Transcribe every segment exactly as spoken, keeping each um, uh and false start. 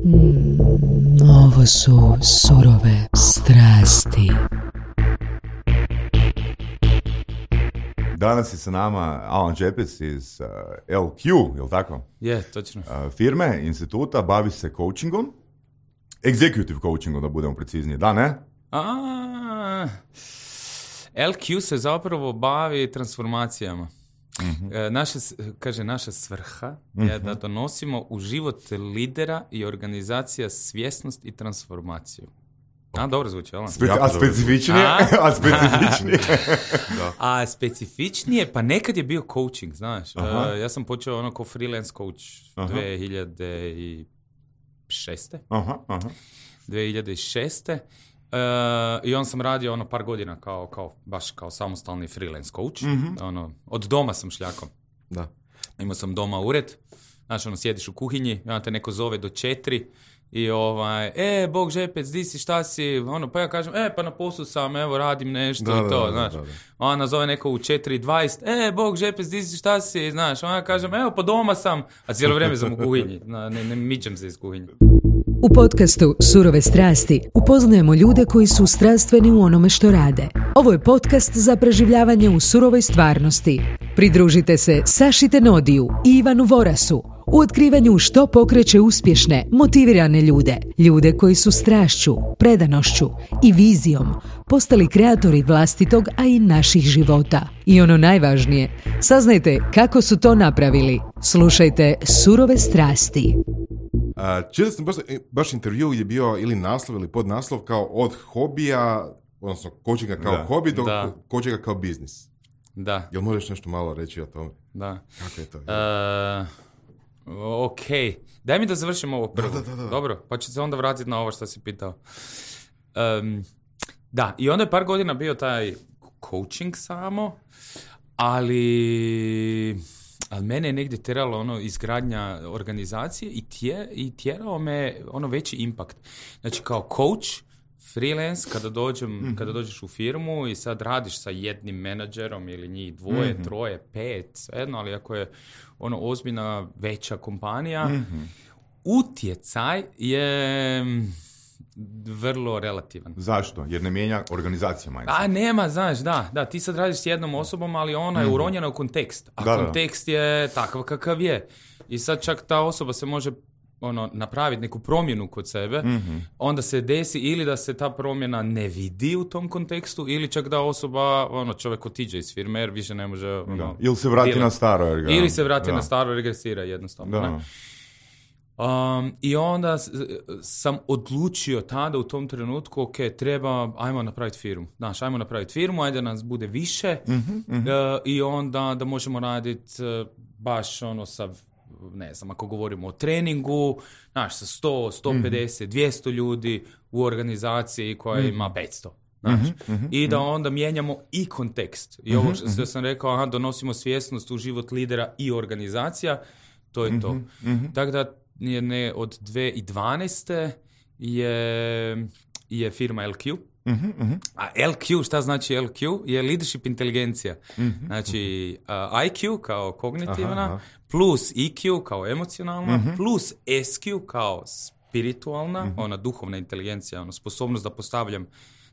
Mm, ovo su surove strasti. Danas je sa nama Alan Čepec iz uh, L Q, je li tako? Je, točno. Uh, firme, instituta, bavi se coachingom. Executive coachingom, da budemo precizniji. Da, ne? A, L Q se zapravo bavi transformacijama. Mm-hmm. E, naša, kaže, naša svrha mm-hmm. je da donosimo u život lidera i organizacija svjesnost i transformaciju. A, dobro zvuči, ali? Spe- a specifičnije? A, a specifičnije? A specifičnije, pa nekad je bio coaching, znaš. Uh, ja sam počeo ono ko freelance coach aha. dvije hiljade šeste. Aha, aha. dvije hiljade šeste. Uh, I on sam radio ono par godina kao, kao, baš kao samostalni freelance coach. Mm-hmm. Ono, od doma sam šljakao. Da. Imao sam doma ured. Znaš, ono, sjediš u kuhinji, i onda te neko zove do četiri i ovaj, e, Bog Žepec, di si, šta si? Ono, pa ja kažem, e, pa na poslu sam, evo, radim nešto da, i to, da, znaš. Da, da. Ona zove neko u četiri dvadeset, e, Bog Žepec, di si, šta si, znaš. Ona kažem, evo, pa doma sam, a cijelo vrijeme sam u kuhinji, ne, ne mičem se iz kuhinje. U podcastu Surove strasti upoznajemo ljude koji su strastveni u onome što rade. Ovo je podcast za preživljavanje u surovoj stvarnosti. Pridružite se Saši Tenodiju i Ivanu Vorasu u otkrivanju što pokreće uspješne, motivirane ljude. Ljude koji su strašću, predanošću i vizijom postali kreatori vlastitog, a i naših života. I ono najvažnije, saznajte kako su to napravili. Slušajte Surove strasti. Uh, čili sam baš, baš intervju gdje je bio ili naslov ili podnaslov kao od hobija, odnosno coachinga kao da. hobi do da. coachinga kao biznis. Da. Jel možeš nešto malo reći o tome? Da. Kako je to? Uh, ok. Daj mi da završim ovo prvo. Da, da, da, da. Dobro, pa ću se onda vratiti na ovo što si pitao. Um, da, i onda je par godina bio taj coaching samo, ali... ali mene je negdje tjeralo ono izgradnja organizacije i, tje, i tjerao me ono veći impact. Znači kao coach, freelance, kada, dođem, mm-hmm. kada dođeš u firmu i sad radiš sa jednim menadžerom ili njih dvoje, mm-hmm. troje, pet, svejedno, ali ako je ono ozbiljna veća kompanija, mm-hmm. utjecaj je vrlo relativan. Zašto? Jer ne mijenja organizacija mindset. A nema, znaš, da, da, ti sad radiš s jednom osobom, ali ona je uronjena u kontekst. A da, kontekst da. je takav kakav je. I sad čak ta osoba se može ono, napraviti neku promjenu kod sebe, mm-hmm. onda se desi ili da se ta promjena ne vidi u tom kontekstu, ili čak da osoba, ono, čovjek otiđe iz firme jer više ne može... Ono, ili se vrati bila. na staro. Jer ga, ili se vrati da. na staro, regresira jednostavno. Da. Ne? Um, I onda sam odlučio tada u tom trenutku, ok, treba, ajmo napraviti firmu. Znaš, ajmo napraviti firmu, ajde nas bude više mm-hmm, mm-hmm. Uh, i onda da možemo raditi uh, baš ono sa, ne znam, ako govorimo o treningu, znaš, sa sto, sto pedeset, mm-hmm. dvjesto ljudi u organizaciji koja mm-hmm. ima petsto. Znaš, mm-hmm, i da onda mijenjamo i kontekst. I ovo što mm-hmm. sam rekao, aha, donosimo svjesnost u život lidera i organizacija, to je mm-hmm, to. Mm-hmm. Tako da je ne, od dvije tisuće dvanaeste je, je firma L Q. Mm-hmm, mm-hmm. A L Q, šta znači L Q? Je leadership inteligencija. Mm-hmm, znači uh, I Q kao kognitivna, aha, aha. plus E Q kao emocionalna, mm-hmm. plus S Q kao spiritualna, mm-hmm. ona duhovna inteligencija, ona sposobnost da postavljam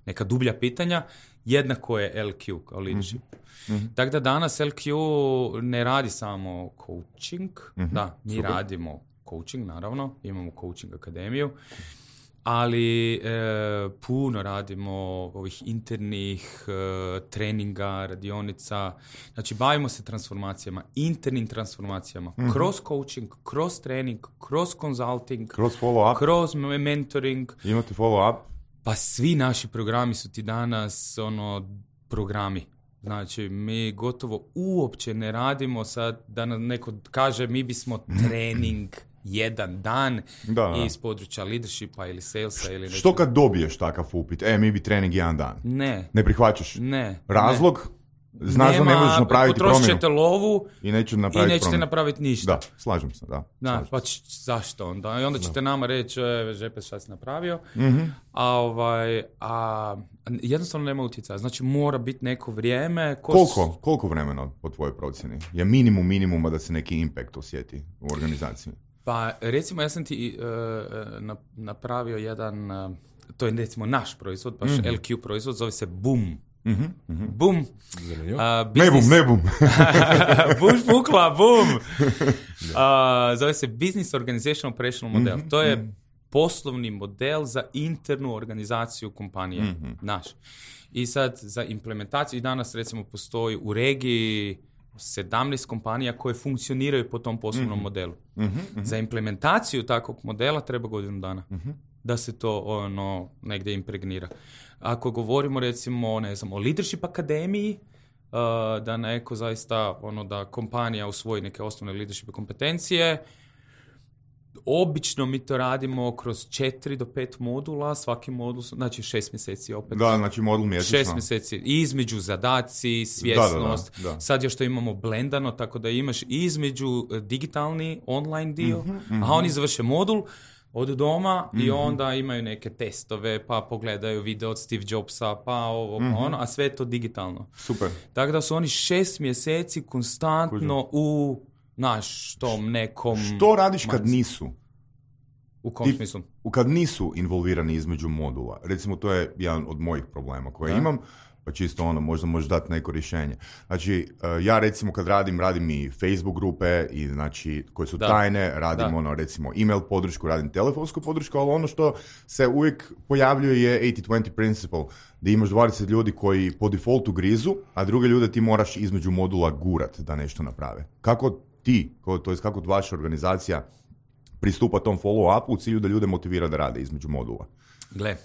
neka dublja pitanja, jednako je L Q kao leadership. Mm-hmm. Tako da danas L Q ne radi samo coaching, mm-hmm. da, mi super. Radimo coaching, naravno, imamo coaching akademiju, ali e, puno radimo ovih internih e, treninga, radionica, znači bavimo se transformacijama, internim transformacijama, mm-hmm. kroz coaching, kroz trening, kroz consulting, kroz follow-up, kroz mentoring. Imate follow-up? Pa svi naši programi su ti danas ono programi. Znači, mi gotovo uopće ne radimo sad da nam neko kaže mi bismo trening jedan dan da, da. iz područja leadershipa ili salesa ili nešto. Što kad dobiješ takav upit? E, mi bi trening jedan dan. Ne. Ne prihvaćaš? Ne. Razlog? Ne. Znaš da ne možeš napraviti promjenu. Potrošit ćete lovu i, neću napraviti i nećete promjenu. napraviti ništa. Da, slažem se, da. Da, slažem pa č- zašto onda? I onda ćete da. nama reći, e, Žepec, šta si napravio? Mm-hmm. A, ovaj, a jednostavno nema utjecaja. Znači, mora biti neko vrijeme. Ko koliko, koliko vremena po tvojoj procjeni je minimum minimuma da se neki impact osjeti u organizaciji? Pa recimo ja sam ti uh, na, napravio jedan, uh, to je recimo naš proizvod, baš mm-hmm. L Q proizvod, zove se Boom. Mm-hmm. Mm-hmm. Boom. Uh, ne bum, ne bum. Buš pukla, Boom. Uh, zove se Business Organizational Operational Model. Mm-hmm. To je mm-hmm. poslovni model za internu organizaciju kompanije, mm-hmm. naš. I sad za implementaciju, i danas recimo postoji u regiji sedamnaest kompanija koje funkcioniraju po tom poslovnom mm-hmm. modelu. Mm-hmm. Za implementaciju takvog modela treba godinu dana. Mm-hmm. Da se to ono negdje impregnira. Ako govorimo recimo ne znam, o Leadership akademiji, uh, da neko zaista ono da kompanija usvoji neke osnovne leadership kompetencije, obično mi to radimo kroz četiri do pet modula, svaki modul, znači šest mjeseci opet. Da, znači modul mjesečno. Šest mjeseci, između zadaci, svjesnost. Da, da, da, da. Sad još to imamo blendano, tako da imaš između digitalni, online dio, mm-hmm, mm-hmm. a oni završe modul od doma mm-hmm. i onda imaju neke testove, pa pogledaju video od Steve Jobsa, pa ovo, mm-hmm. pa ono, a sve je to digitalno. Super. Tako da su oni šest mjeseci konstantno Kužu. u naš tom nekom... Što radiš kad nisu? U kom smislu? Kad nisu involvirani između modula. Recimo, to je jedan od mojih problema koje da. imam, pa čisto ono, možda možeš dati neko rješenje. Znači, ja recimo kad radim, radim i Facebook grupe, i znači, koje su da. tajne, radim da. ono, recimo, email podršku, radim telefonsku podršku, ali ono što se uvijek pojavljuje je eighty twenty principle, da imaš dvadeset ljudi koji po defaultu grizu, a druge ljude ti moraš između modula gurat da nešto naprave. Kako ti, to je kako vaša organizacija pristupa tom follow-upu u cilju da ljude motivira da rade između modula? Gle,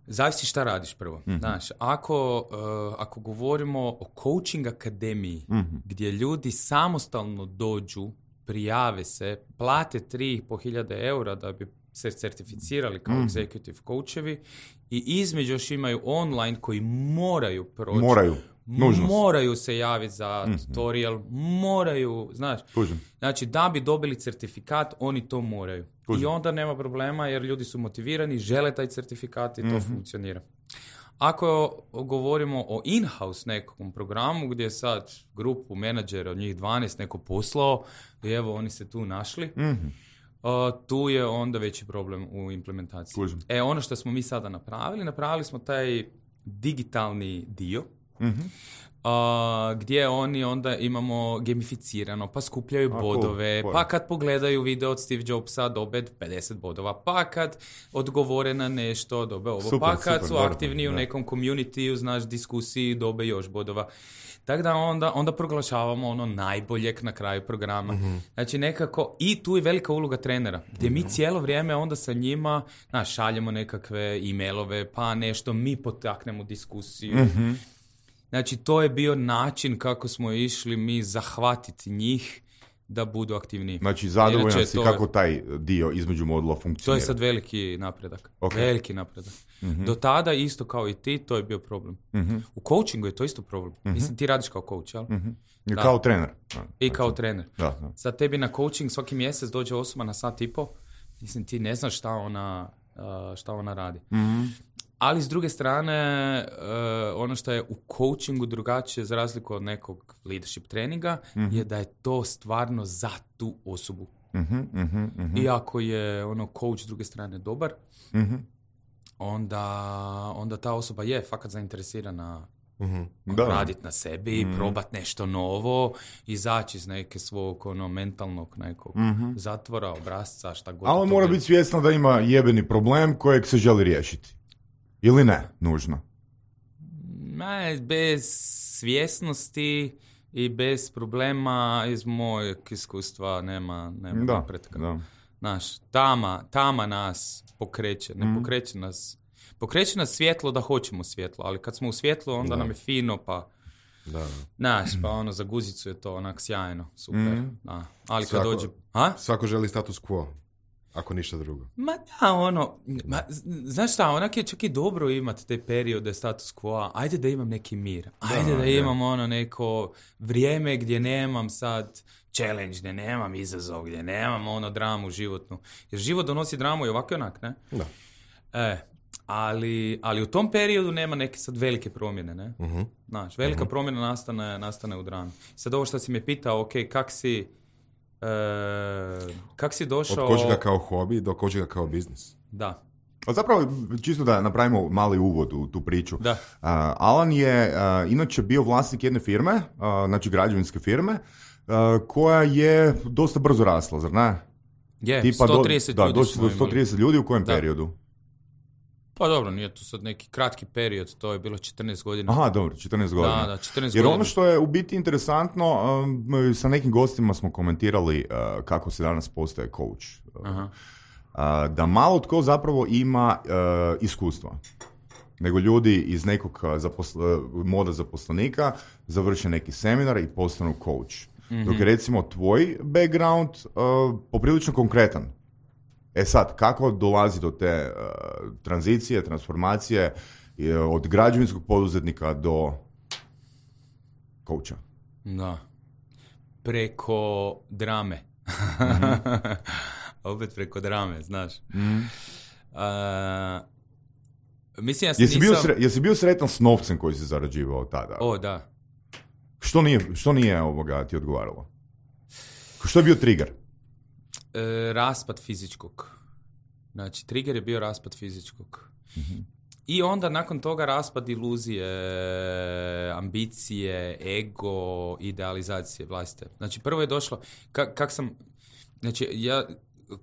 zavisi šta radiš prvo. Mm-hmm. Znaš, ako, uh, ako govorimo o coaching akademiji, mm-hmm. gdje ljudi samostalno dođu, prijave se, plate tri i pol hiljade eura da bi se certificirali kao mm-hmm. executive coachevi i između još imaju online koji moraju proći. Moraju. Nužnost. Moraju se javiti za mm-hmm. tutorial, moraju, znaš, Kužim. znači da bi dobili certifikat, oni to moraju. Kužim. I onda nema problema jer ljudi su motivirani, žele taj certifikat i to mm-hmm. funkcionira. Ako govorimo o in-house nekom programu gdje sad grupu menadžera, od njih dvanaest neko poslao i evo oni se tu našli, mm-hmm. uh, tu je onda veći problem u implementaciji. Kužim. E, ono što smo mi sada napravili, napravili smo taj digitalni dio, mm-hmm. Uh, gdje oni onda imamo gamificirano, pa skupljaju A, bodove, cool. pa kad pogledaju video od Steve Jobsa dobe pedeset bodova, pa kad odgovore na nešto dobe ovo, super, pa kad super, su aktivni dobro, u nekom community, znaš, diskusiji dobe još bodova. Tako da onda, onda proglašavamo ono najboljeg na kraju programa. Mm-hmm. Znači nekako, i tu je velika uloga trenera, gdje mm-hmm. mi cijelo vrijeme onda sa njima, znaš, šaljemo nekakve e-mailove, pa nešto mi potaknemo diskusiju. Mm-hmm. Znači, to je bio način kako smo išli mi zahvatiti njih da budu aktivniji. Znači, zadovoljan si kako je, taj dio između modula funkcionira. To je sad veliki napredak. Okay. Veliki napredak. Mm-hmm. Do tada, isto kao i ti, to je bio problem. Mm-hmm. U coachingu je to isto problem. Mm-hmm. Mislim, ti radiš kao coach, jel? Mm-hmm. I da. kao trener. Da. I kao trener. Da, da. Sad tebi na coaching svaki mjesec dođe osoba na sat i po. Mislim, ti ne znaš šta ona, šta ona radi. Mm-hmm. Ali s druge strane, uh, ono što je u coachingu drugačije za razliku od nekog leadership treninga, mm-hmm. je da je to stvarno za tu osobu. Mm-hmm, mm-hmm. I ako je ono coach s druge strane dobar, mm-hmm. onda, onda ta osoba je fakat zainteresirana mm-hmm. raditi na sebi, mm-hmm. probati nešto novo, izaći iz neke svog ono, mentalnog nekog mm-hmm. zatvora, obrazca, šta god. A on mora biti svjesno da ima jebeni problem kojeg se želi riješiti. Ili ne, nužno? Ne, bez svjesnosti i bez problema iz mojeg iskustva nema, nema da, napretka. Da. Znaš, tama, tama nas pokreće, ne mm. pokreće nas, pokreće nas svjetlo da hoćemo svjetlo, ali kad smo u svjetlu onda da. nam je fino, pa da. Znaš, pa ono za guzicu je to onak sjajno, super. Mm. Da. Ali kad svako, dođe... A? Svako želi status quo. Ako ništa drugo. Ma da, ono, ma, znaš šta, onak je čak i dobro imati te periode status quo, ajde da imam neki mir, ajde da, da imam ono neko vrijeme gdje nemam sad challenge, gdje nemam izazov, gdje nemam ono dramu životnu. Jer život donosi dramu i ovako i onak, ne? Da. E, ali, ali u tom periodu nema neke sad velike promjene, ne? Uh-huh. Znaš, velika uh-huh. promjena nastane, nastane u drami. Sad ovo što si me pitao, ok, kak si E, kak si došao... Od coachinga kao hobi do coachinga kao biznis. Da. A zapravo, čisto da napravimo mali uvod u tu priču. Da. Uh, Alan je uh, inače bio vlasnik jedne firme, uh, znači građevinske firme, uh, koja je dosta brzo rasla, zar ne? Je, Tipa sto trideset do, ljudi da, smo do sto trideset imali. ljudi u kojem Da. periodu? Pa dobro, nije to sad neki kratki period, to je bilo četrnaest godina. Aha, dobro, četrnaest godina. Da, da, četrnaest Jer godina. ono što je u biti interesantno, um, sa nekim gostima smo komentirali uh, kako se danas postaje coach. Aha. Uh, da malo tko zapravo ima uh, iskustva. Nego ljudi iz nekog zaposl- moda zaposlenika završe neki seminar i postanu coach. Mm-hmm. Dok je recimo tvoj background uh, poprilično konkretan. E sad, kako dolazi do te uh, tranzicije, transformacije uh, od građevinskog poduzetnika do coacha? Da. Preko drame. Mm-hmm. Opet preko drame, znaš. Mm-hmm. Uh, mislim, ja sam Jesi, nisam... bio sre- jesi bio sretan s novcem koji si zarađivao tada? O, da. Što nije, što nije ovoga ti odgovaralo? Što je bio trigger? E, raspad fizičkog. Znači, trigger je bio raspad fizičkog. Mm-hmm. I onda nakon toga raspad iluzije, ambicije, ego, idealizacije vlastite. Znači, prvo je došlo, kak, kak sam, znači, ja,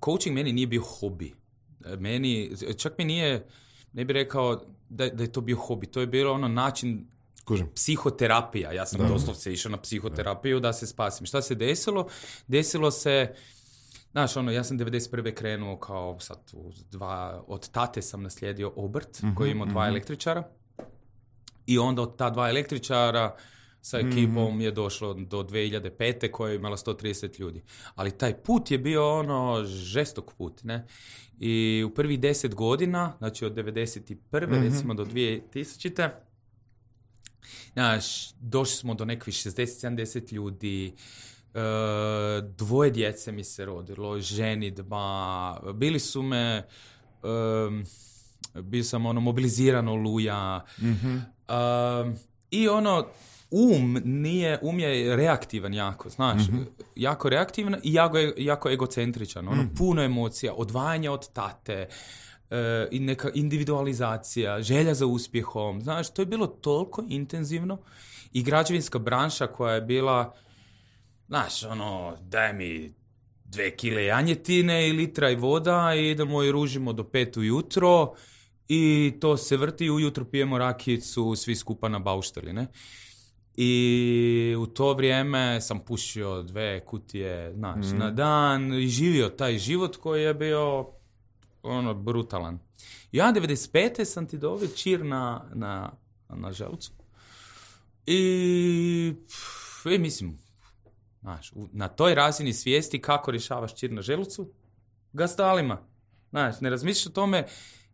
coaching meni nije bio hobi. Meni, čak mi nije, ne bih rekao da, da je to bio hobi, to je bilo ono način Kužim. psihoterapija. Ja sam da. doslovce išao na psihoterapiju da se spasim. Šta se desilo? Desilo se, znaš, ono, ja sam devedeset prve krenuo kao sad u dva, od tate sam naslijedio obrt mm-hmm, koji imao dva mm-hmm. električara i onda od ta dva električara sa ekipom mm-hmm. je došlo do dvije hiljade pete koja je imala sto trideset ljudi. Ali taj put je bio ono žestok put, ne? I u prvih deset godina, znači od devedeset prve Mm-hmm. recimo do dvije tisućite Znaš, došli smo do nekih šezdeset sedamdeset ljudi, e, dvoje djece mi se rodilo, ženidba, bili su me, e, bio sam ono mobiliziran oluja, mm-hmm. e, i ono, um nije, um je reaktivan jako, znaš, mm-hmm. jako reaktivan i jako, jako egocentričan, ono, mm-hmm. puno emocija, odvajanje od tate, Uh, i neka individualizacija, želja za uspjehom, znaš, to je bilo toliko intenzivno i građevinska branša koja je bila, znaš, ono, daj mi dve kile janjetine i litra i voda i idemo i ružimo do pet ujutro i to se vrti, ujutro pijemo rakijicu, svi skupa na baušteli, ne? I u to vrijeme sam pušio dve kutije, znaš, mm. na dan i živio taj život koji je bio ono, brutalan. Ja devedeset pete sam ti dobio čir na, na, na želucu. I, i mislim, znaš, na toj razini svijesti kako rješavaš čir na želucu, gastalima. Znaš, ne razmišljaš o tome,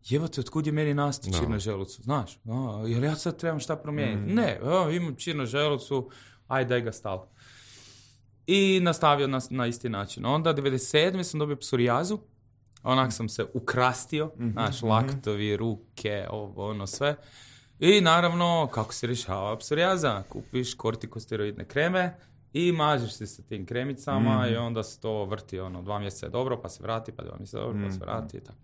jebote, otkud je meni nastao no. čir na želucu, znaš, o, jer ja sad trebam šta promijeniti. Mm. Ne, o, imam čir na želucu, aj daj gastal. I nastavio na, na isti način. Onda devedeset sedme sam dobio psorijazu. Onak sam se ukrastio, mm-hmm, naš laktovi, ruke, ovo, ono sve. I naravno, kako se rješava psorijaza? Kupiš kortikosteroidne kreme i mažeš se sa tim kremicama mm-hmm. i onda se to vrti, ono, dva mjeseca je dobro, pa se vrati, pa dva mjeseca je dobro, mm-hmm. pa se vrati i tako.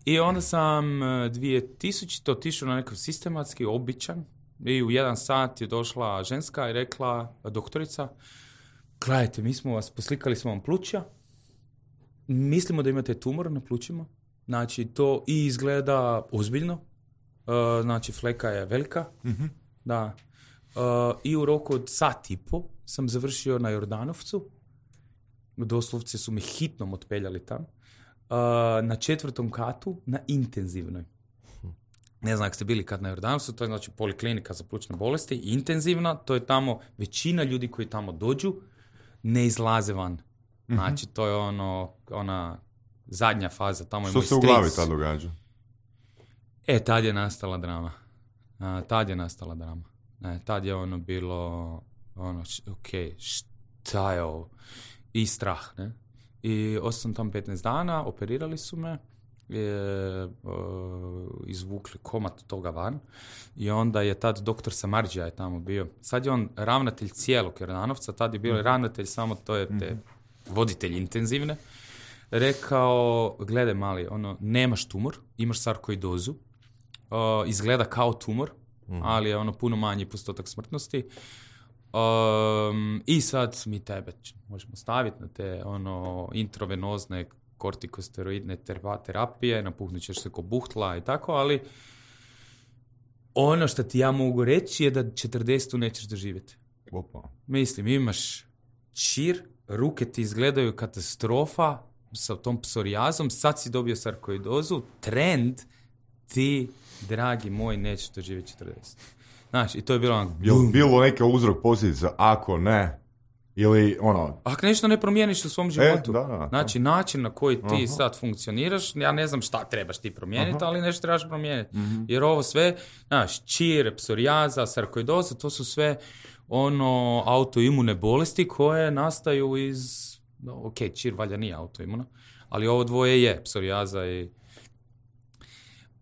I onda sam dvije tisućite otišao na nekakav sistematski, običan i u jedan sat je došla ženska i rekla, doktorica, gledajte, mi smo vas, poslikali smo vam pluća, mislimo da imate tumor na plućima, znači to i izgleda ozbiljno, uh, znači fleka je velika, mm-hmm. da. Uh, i u roku od sat i po sam završio na Jordanovcu, doslovce su me hitnom otpeljali tam, uh, na četvrtom katu na intenzivnoj. Ne znam ako ste bili kad na Jordanovcu, to je znači poliklinika za plućne bolesti, intenzivna, to je tamo, većina ljudi koji tamo dođu ne izlaze van. Znači, to je ono, ona zadnja faza. Tamo je što moj se u glavi tad događa? E, tad je nastala drama. A, tad je nastala drama. E, tad je ono bilo, ono, š, ok, šta je ovo? I strah, ne? I ostao sam tam petnaest dana, operirali su me je uh, izvukli komad toga van i onda je tad doktor Samardžija je tamo bio. Sad je on ravnatelj cijelog Jordanovca, tad je bio mm-hmm. ravnatelj samo to je te mm-hmm. voditelj intenzivne. Rekao, gledaj mali, ono, nemaš tumor, imaš sarkoidozu, uh, izgleda kao tumor, mm-hmm. ali je ono puno manji postotak smrtnosti. Um, I sad mi tebe možemo staviti na te ono intravenozne kortikosteroidne terapije, napuhnut ćeš se ko buhtla i tako, ali ono što ti ja mogu reći je da četrdesetu nećeš doživjeti. Opa. Mislim, imaš čir, ruke ti izgledaju katastrofa sa tom psorijazom, sad si dobio sarkoidozu, trend ti, dragi moj, nećeš doživjeti četrdeset. Znaš, i to je bilo ono... Je li bilo neke uzrok posljedica, ako ne? Ili ono... Ako nešto ne promijeniš u svom životu. E, da, da, znači, način na koji ti Aha. sad funkcioniraš, ja ne znam šta trebaš ti promijeniti, Aha. ali nešto trebaš promijeniti. Mm-hmm. Jer ovo sve, znaš, čir, psorijaza, sarkoidoza, to su sve ono autoimune bolesti koje nastaju iz... No, ok, čir valjda nije autoimuna, ali ovo dvoje je, psorijaza i...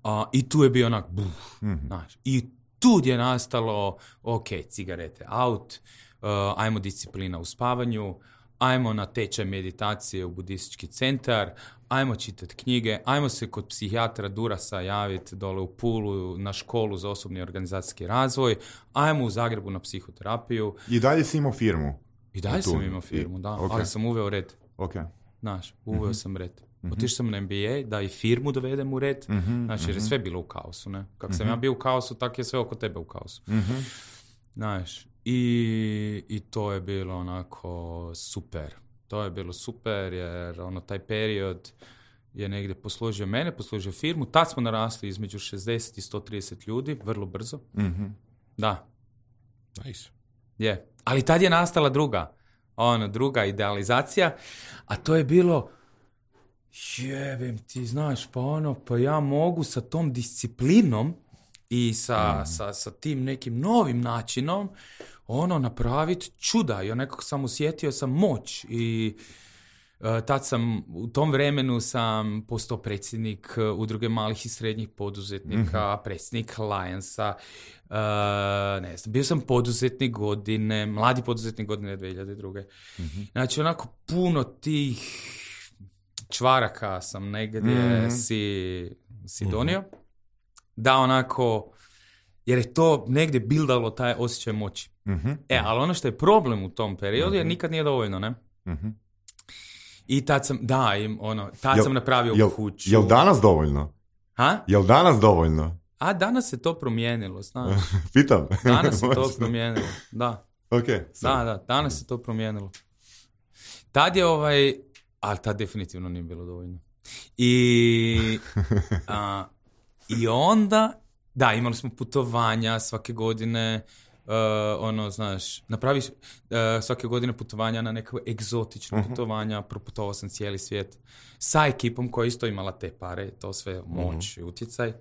A, i tu je bio onak... Buf, Mm-hmm. znaš, i tu je nastalo, ok, cigarete out, uh, ajmo disciplina u spavanju, ajmo na tečaj meditacije u budistički centar, ajmo čitati knjige, ajmo se kod psihijatra Durasa javiti dole u Pulu na školu za osobni organizacijski razvoj, ajmo u Zagrebu na psihoterapiju. I dalje si imao firmu? I dalje sam imao firmu, da, okay. ali sam uveo red. Ok. Znaš, uveo mm-hmm. sam red. Mm-hmm. Otišao sam na M B A da i firmu dovedem u red, mm-hmm. znači jer je sve bilo u kaosu, ne? Kako mm-hmm. sam ja bio u kaosu, tako je sve oko tebe u kaosu. Mm-hmm. Znaš, i, i to je bilo onako super. To je bilo super jer ono, taj period je negdje poslužio mene, poslužio firmu. Tad smo narasli između šezdeset i sto trideset ljudi, vrlo brzo. Mm-hmm. Da. Nice. Je. Ali tad je nastala druga, ono, druga idealizacija, a to je bilo jebem ti, znaš, pa ono, pa ja mogu sa tom disciplinom i sa, mm. sa, sa tim nekim novim načinom ono, napraviti čuda. Ja nekako sam osjetio sam moć i uh, tad sam, u tom vremenu sam postao predsjednik uh, udruge malih i srednjih poduzetnika, mm-hmm. predsjednik Lionsa, uh, ne znam, bio sam poduzetnik godine, mladi poduzetnik godine dvije hiljade druge. Mm-hmm. Znači, onako puno tih čvaraka sam negdje mm-hmm. si, si donio, mm-hmm. da onako, jer je to negdje bildalo taj osjećaj moći. Mm-hmm. E, ali ono što je problem u tom periodu mm-hmm. je nikad nije dovoljno, ne? Mm-hmm. I tad sam, da, im, ono, tad jel, sam napravio jel, kuću. Jel danas dovoljno? Ha? Jel danas dovoljno? A, danas se to promijenilo, znaš. Pitam. Danas se to promijenilo, da. Ok. Da, da, danas se to promijenilo. Tad je ovaj, ali tad definitivno nije bilo dovoljno. I, a, i onda, da, imali smo putovanja svake godine, uh, ono, znaš, napraviš uh, svake godine putovanja na neke egzotične uh-huh. putovanja, proputovao sam cijeli svijet sa ekipom koja isto imala te pare, to sve moć uh-huh. i utjecaj. Uh,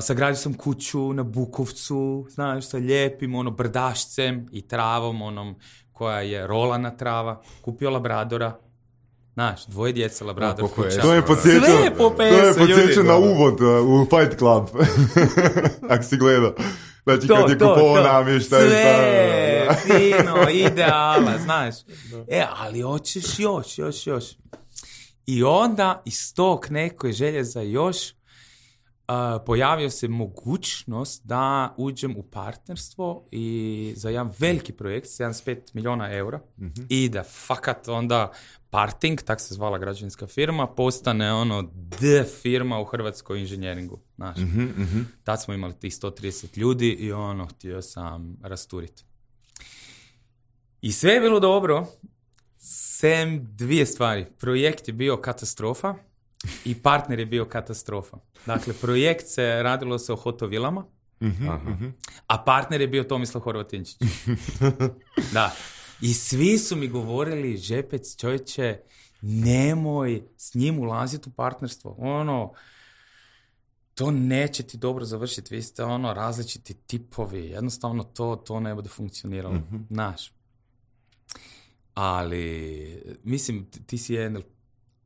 sagradio sam kuću na Bukovcu, znaš, sa lijepim ono brdašcem i travom, onom koja je rolana trava, kupio labradora. Znaš, dvoje djeca, labrador, no, kuća. To je podsjećao, sve je po pesu, to je podsjećao ljudi. Na uvod uh, u Fight Club. Ako si gledao. Znači, to, kad je kupovao namještaj. Sve, fino, ideala, znaš. E, ali hoćeš još, još, još. I onda iz tog neke želje za još uh, pojavio se mogućnost da uđem u partnerstvo i za jedan veliki projekt, sedamdeset pet milijuna eura, mm-hmm. i da fakat onda Parting, tak se zvala građevinska firma, postane ono D firma u hrvatskoj inženjeringu. Znaš. Mm-hmm, mm-hmm. Tad smo imali tih sto trideset ljudi i ono, htio sam rasturiti. I sve je bilo dobro, sem dvije stvari. Projekt je bio katastrofa i partner je bio katastrofa. Dakle, projekt se radilo se o hotovilama, mm-hmm. a partner je bio Tomislav Horvatinčić. Da. I svi su mi govorili, Žepec, čovječe, nemoj s njim ulaziti u partnerstvo. Ono, to neće ti dobro završiti. Vi ste ono različiti tipovi. Jednostavno to, to ne bude funkcioniralo. Mm-hmm. Znaš. Ali, mislim, ti si N L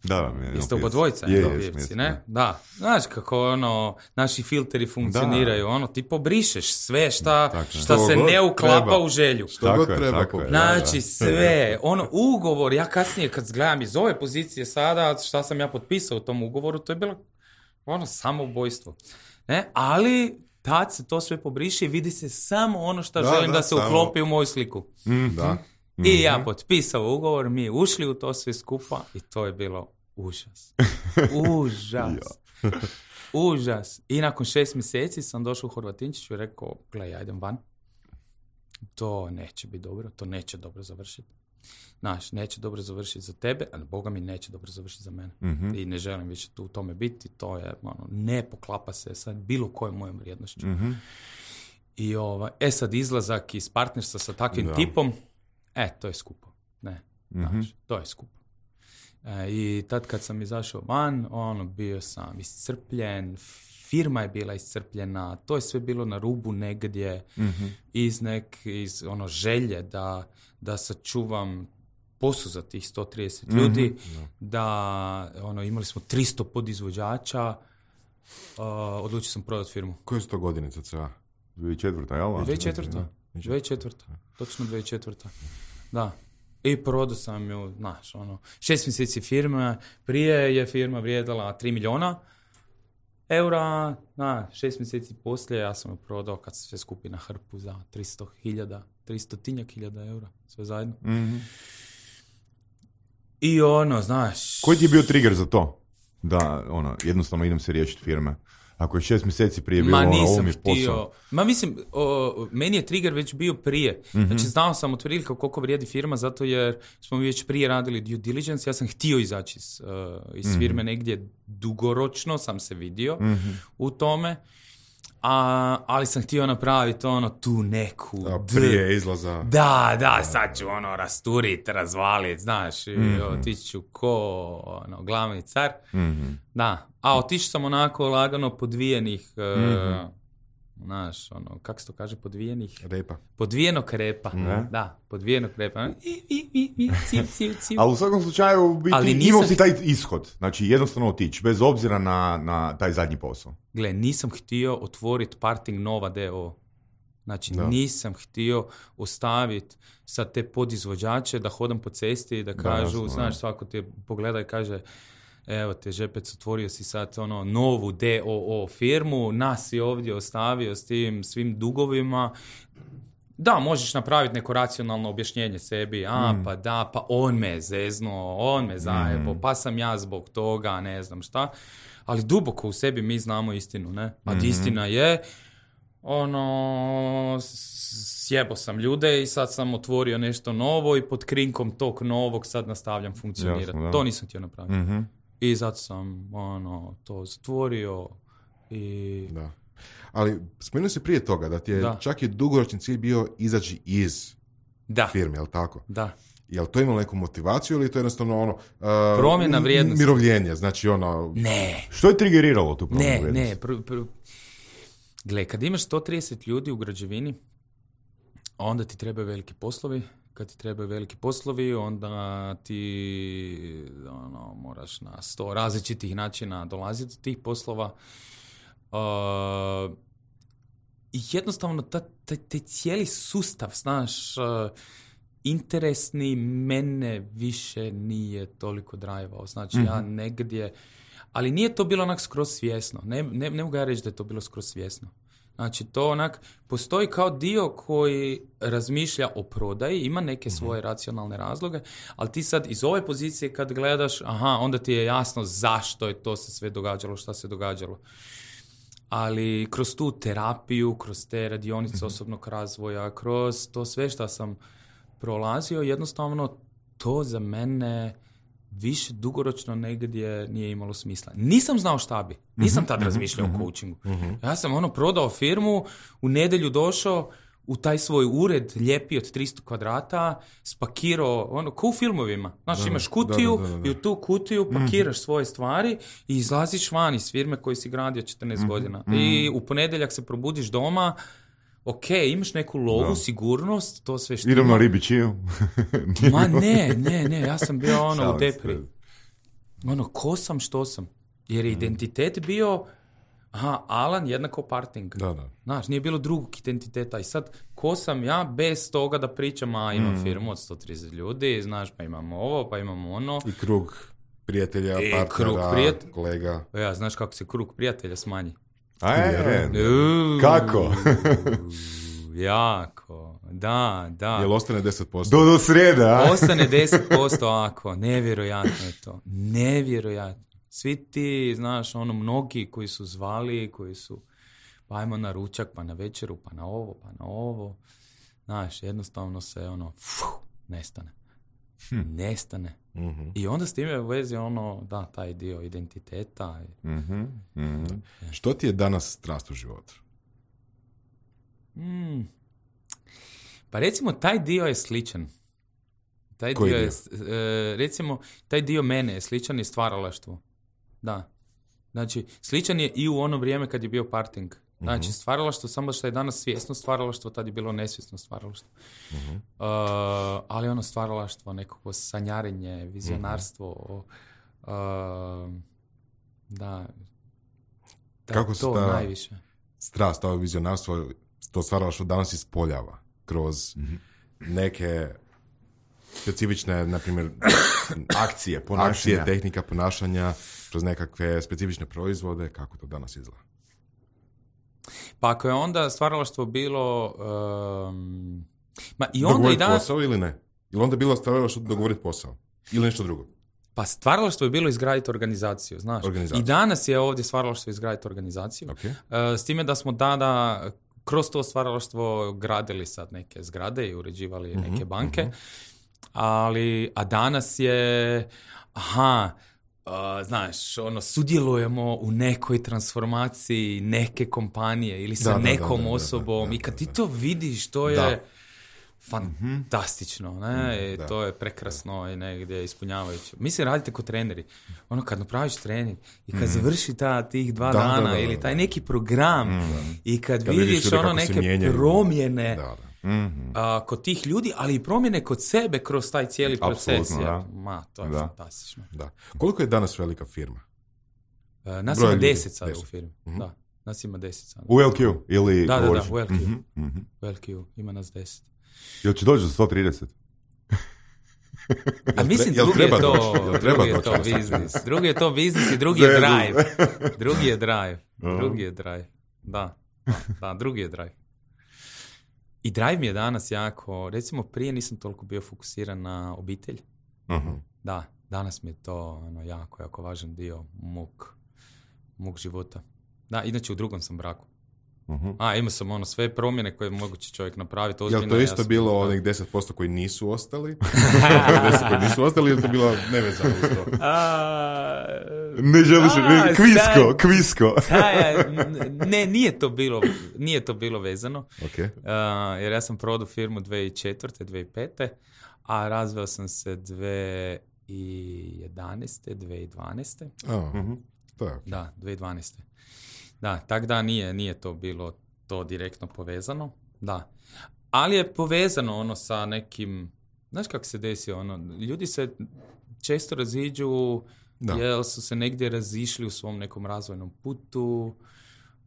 Da, mi je. Jeste oba dvojica, je, je, je, pivci, ne? Da. Znaš kako ono, naši filteri funkcioniraju, ono, ti pobrišeš sve šta, Tako, šta se god ne uklapa treba. u želju. Što god je, treba. tako je. Znači sve, ono, ugovor, ja kasnije kad gledam iz ove pozicije sada, šta sam ja potpisao u tom ugovoru, to je bilo ono, samoubojstvo. Ne? Ali tad se to sve pobriše i vidi se samo ono što Da, želim da, da, se samo. uklopi u moju sliku. Da. I ja potpisao ugovor, mi ušli u to sve skupa i to je bilo užas. Užas. Užas. I nakon šest mjeseci sam došao u Horvatinčiću i rekao, gle, ja idem van. To neće biti dobro, to neće dobro završiti. Znaš, neće dobro završiti za tebe, ali Boga mi neće dobro završiti za mene. Mhm. I ne želim više tu u tome biti, to je, ono, ne poklapa se sa bilo kojom mojom vrijednošću. Mhm. I ovaj, e sad izlazak iz partnerstva sa takvim Da. tipom, e, to je skupo. Ne, Mhm. znaš, to je skupo. E, I tad kad sam izašao van, ono, bio sam iscrpljen, firma je bila iscrpljena, to je sve bilo na rubu negdje, Mhm. iz nek, iz ono, želje da, da sačuvam posao za tih sto trideset Mhm. ljudi, da, ono, imali smo tristo podizvođača, uh, odlučio sam prodati firmu. Koje su to godine cca? dvije tisuće četvrta, jel? dvije tisuće četvrta. dvije tisuće četvrta. Točno dvije tisuće četvrta. Da. I prodao sam ju, znaš, ono, šest mjeseci firme, prije je firma vrijedila tri milijuna eura, na, šest mjeseci poslije ja sam ju prodao kad se sve skupi na hrpu za tristo hiljada, tristo tinjak hiljada eura, sve zajedno. Mhm. I ono, znaš... Koji ti je bio trigger za to? Da, ono, jednostavno idem se riješiti firme. Ako je šest mjeseci prije bilo, Ma ono, ovo nisam mi je htio. posao. Ma mislim, o, meni je trigger već bio prije. Mhm. Znači, znao sam otprilike koliko vrijedi firma, zato jer smo mi već prije radili due diligence. Ja sam htio izaći iz, uh, iz firme negdje dugoročno, sam se vidio Mhm. u tome. A, ali sam htio napraviti ono, tu neku... A d- prije izlaza. Da, da, sad ću ono rasturit, razvalit, znaš, i Mhm. otići ću ko ono, glavni car. Mhm. Da, a otišao sam onako lagano podvijenih, e, Mhm. znaš, ono, kako se to kaže, podvijenih? Repa. Podvijenog repa, Ne? da, podvijenog repa. I, i, i, i, civ, civ, civ. Ali u svakom slučaju u biti, Ali nisam- imao si taj ishod. Znači, jednostavno otići, bez obzira na, na taj zadnji posao. Gle, nisam htio otvoriti Parting Nova d o o. Znači, Da. nisam htio ostaviti sad te podizvođače da hodam po cesti i da kažu, jasno, znaš, da. svako te pogleda i kaže, evo te Žepec, otvorio si sad ono novu d o o firmu, nas si ovdje ostavio s tim svim dugovima. Da, možeš napraviti neko racionalno objašnjenje sebi, a Mm. pa da, pa on me je zeznuo, on me zajebo, Mm. pa sam ja zbog toga, ne znam šta. Ali duboko u sebi mi znamo istinu, ne? A Mhm. istina je, ono, s- sjebo sam ljude i sad sam otvorio nešto novo i pod krinkom tog novog sad nastavljam funkcionirati. Jasno, da. To nisam htio napraviti. Mhm. I zato sam, ono, to zatvorio i... Da. Ali spomenuo si prije toga da ti je Da. čak i dugoročni cilj bio izaći iz Da, firme, jel tako? da. Jel to imalo neku motivaciju ili je to jednostavno ono... Uh, Promjena m- vrijednosti. Mirovljenje, znači ono... Ne, Što je triggeriralo tu promjenu ne, vrijednosti? ne. Pr, pr... Gle, kad imaš sto trideset ljudi u građevini, onda ti trebaju veliki poslovi. Kad ti trebaju veliki poslovi, onda ti ono, moraš na sto različitih načina dolaziti do tih poslova. Uh, I jednostavno ta, ta, taj cijeli sustav, znaš, uh, interesni mene više nije toliko drajvao. Znači, ja negdje... Ali nije to bilo onak skroz svjesno. Ne, ne, ne mogu ja reći da je to bilo skroz svjesno. Znači, to onak, postoji kao dio koji razmišlja o prodaji, ima neke svoje racionalne razloge, ali ti sad iz ove pozicije kad gledaš, aha, onda ti je jasno zašto je to se sve događalo, šta se događalo. Ali kroz tu terapiju, kroz te radionice osobnog razvoja, kroz to sve što sam prolazio, jednostavno to za mene više dugoročno negdje nije imalo smisla. Nisam znao šta bi. Nisam tad razmišljao o coachingu. Ja sam ono prodao firmu, u nedjelju došao u taj svoj ured lijepi od tristo kvadrata, spakirao, ono, ko u filmovima. Znaš, Da, imaš da, kutiju da, da, da. i u tu kutiju pakiraš svoje stvari i izlaziš van iz firme koju si gradio četrnaest godina. I u ponedjeljak se probudiš doma, ok, imaš neku lovu, Da. sigurnost, to sve što Idem na ribičiju. Ma ne, ne, ne, ja sam bio ono u Šalim se. depri. ono, ko sam, što sam. Jer je identitet bio, aha, Alan jednako Parting. Da, da. Znaš, nije bilo drugog identiteta. I sad, ko sam ja bez toga da pričam, a imam mm. firmu od sto trideset ljudi, znaš, pa imamo ovo, pa imamo ono. I krug prijatelja, I partnera, krug prijat... kolega. Ja, znaš kako se krug prijatelja smanji? A je, Uuu, kako? Jako, da, da. Jel ostane deset posto? Do, do srijede, a? Ostane deset posto ako, nevjerojatno je to, nevjerojatno. Svi ti, znaš, ono, mnogi koji su zvali, koji su, pa ajmo na ručak, pa na večeru, pa na ovo, pa na ovo, znaš, jednostavno se, ono, fuh, nestane. Hm. Nestane. Mm-hmm. I onda s time u vezi, ono, da, taj dio identiteta. Mm-hmm. Mm-hmm. Što ti je danas strast u životu? Mm. Pa recimo, taj dio je sličan. Taj Koji dio, dio? je, e, recimo, taj dio mene je sličan i stvaralaštvo. Da. Znači, sličan je i u ono vrijeme kad je bio Parting. Znači, uh-huh. stvaralaštvo, samo što je danas svjesno stvaralaštvo, tad je bilo nesvjesno stvaralaštvo. Uh-huh. Uh, ali ono stvaralaštvo, nekako sanjarenje, vizionarstvo, uh-huh. uh, da, da, kako se to ta najviše. Strast, to vizionarstvo, to stvaralaštvo danas ispoljava kroz uh-huh. neke specifične, na primjer, akcije, ponašanja. Akcije, tehnika ponašanja, kroz nekakve specifične proizvode, kako to danas izgleda? Pa ako je onda stvaralaštvo bilo... Um, ma i onda dogovoriti i danas... posao ili ne? Ili onda je bilo stvaralaštvo dogovoriti posao? Ili nešto drugo? Pa stvaralaštvo je bilo izgraditi organizaciju, znaš. Organizaciju. I danas je ovdje stvaralaštvo izgraditi organizaciju. Okay. Uh, s time da smo tada kroz to stvaralaštvo gradili sad neke zgrade i uređivali mm-hmm, neke banke. Mm-hmm. Ali, a danas je... Aha... Uh, znaš, ono, sudjelujemo u nekoj transformaciji neke kompanije ili sa da, nekom da, da, osobom da, da, da, i kad ti to vidiš, to je da. fantastično, ne? Da. I to je prekrasno i negdje ispunjavajuće. Mislim, radite kao treneri. Ono, kad napraviš trening i kad mm. završi ta, tih dva da, dana da, da, da, ili taj da. neki program mm. i kad, kad vidiš, vidiš ono neke promjene da, da. Mm-hmm. A, kod tih ljudi, ali i promjene kod sebe kroz taj cijeli proces. Apsolutno, da. Ma, to je da. fantastično. Da. Koliko je danas velika firma? Uh, nas Broj ima ljudi, deset sada deset. u firmi. Mm-hmm. Da, nas ima deset sada. U L Q ili... Da, da, govoriš? da, u L Q. Mm-hmm. Mm-hmm. U L Q ima nas deset. Jel će doći do sto trideset? A mislim, jel drugi je treba to, doći? Jel treba drugi je doći? to biznis. Drugi je to biznis i drugi je drive. Drugi je drive. Drugi je drive. Da, da, da, drugi je drive. I drive mi je danas jako, recimo prije nisam toliko bio fokusiran na obitelj. Uh-huh. Da, danas mi je to ono, jako, jako važan dio mog, mog života. Da, inače u drugom sam braku. Uh-huh. A, imao sam ono sve promjene koje moguće čovjek napraviti. Je li to isto ja sam, bilo da. onih deset posto koji nisu ostali? deset koji nisu ostali ili to bilo nevezano uz to? A, ne želiš, a, kvisko, sad, kvisko. Taj, ne, nije to bilo, nije to bilo vezano. Okay. Uh, jer ja sam prodao firmu dvije tisuće četvrte. dvije tisuće pete. A razveo sam se dvije tisuće jedanaeste. dvije tisuće dvanaeste. Oh, uh-huh. To je okay. Da, dvije tisuće dvanaeste. Da, tak da nije, nije to bilo to direktno povezano, da. Ali je povezano ono sa nekim, znaš kako se desi, ono, ljudi se često raziđu da. Jer su se negdje razišli u svom nekom razvojnom putu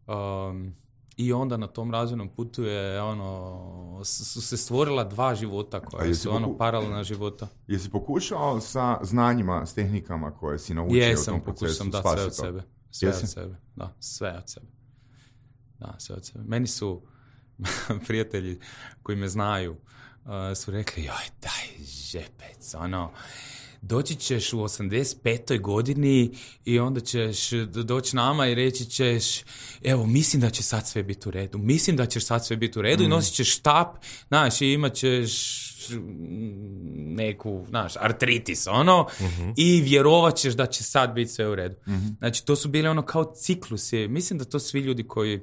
um, i onda na tom razvojnom putu je, ono, su se stvorila dva života koja su, ono, poku... paralelna života. Jesi pokušao sa znanjima, s tehnikama koje si naučio Jesam, u tom procesu spasiti to? Jesam, pokušao sam dati sve od sebe. Sve Jesi? od sebe, da, sve od sebe. Da, sve od sebe. Meni su prijatelji koji me znaju uh, su rekli, joj, daj žepec, ono, doći ćeš u osamdeset petoj godini i onda ćeš doći nama i reći ćeš, evo, mislim da će sad sve biti u redu, mislim da ćeš sad sve biti u redu mm. i nosit ćeš štap, znaš, i imat ćeš neku, znaš, artritis, ono, mm-hmm. i vjerovat ćeš da će sad biti sve u redu. Mm-hmm. Znači, to su bile ono kao ciklusi. Mislim da to svi ljudi koji,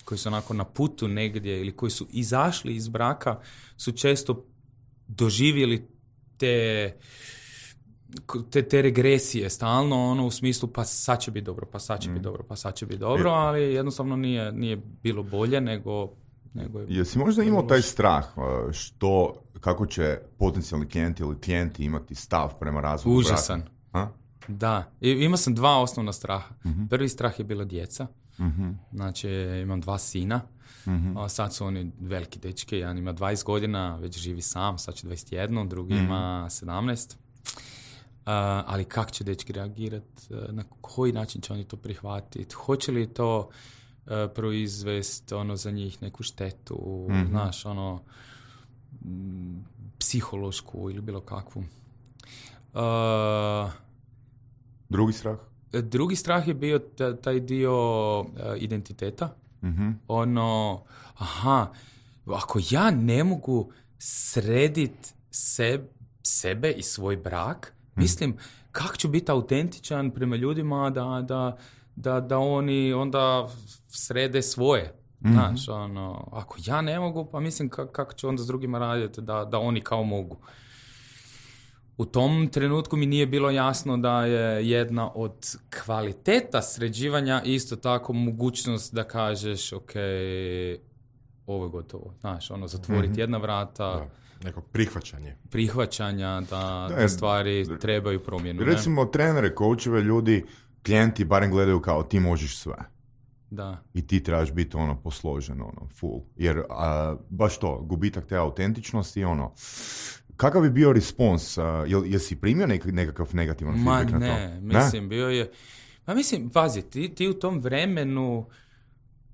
koji su onako na putu negdje ili koji su izašli iz braka su često doživjeli te, te, te regresije stalno, ono, u smislu pa sad će biti dobro, pa sad će mm. biti dobro, pa sad će biti dobro, ali jednostavno nije, nije bilo bolje nego... nego je Jesi možda imao taj strah što, kako će potencijalni klijenti ili klijenti imati stav prema razvoju Užasan. braka? Da, I, imao sam dva osnovna straha. Mm-hmm. Prvi strah je bila djeca. Mm-hmm. Znači, imam dva sina. Mm-hmm. A sad su oni veliki dečki. Jedan ima dvadeset godina, već živi sam, sad će dvadeset jedan, drugi mm-hmm. ima sedamnaest. Uh, ali kako će dečki reagirati? Uh, na koji način će oni to prihvatiti? Hoće li to uh, proizvesti ono, za njih neku štetu? Mm-hmm. Znaš, ono, m, psihološku ili bilo kakvu. Uh, Drugi strah? Drugi strah je bio t- taj dio uh, identiteta. Mm-hmm. Ono, aha, ako ja ne mogu srediti seb, sebe i svoj brak, mm. mislim, kako ću biti autentičan prema ljudima da, da, da, da oni onda srede svoje. Mm-hmm. Znaš, ono, ako ja ne mogu, pa mislim k- kako ću onda s drugima raditi da, da oni kao mogu. U tom trenutku mi nije bilo jasno da je jedna od kvaliteta sređivanja isto tako mogućnost da kažeš ok, ovo je gotovo. Znaš, ono, zatvoriti mm-hmm. jedna vrata. Da, neko prihvaćanje. Prihvaćanja da, da, da stvari da, trebaju promjenu. Recimo, ne? Trenere, coacheve, ljudi, klijenti barem gledaju kao ti možeš sve. Da. I ti trebaš biti ono posložen, ono, full. Jer a, baš to, gubitak te autentičnosti, ono, kakav bi bio respons? Uh, jel, jesi primio nek- nekakav negativan feedback Ma na to? ne, mislim, ne? bio je... Pa mislim, pazi, ti, ti u tom vremenu...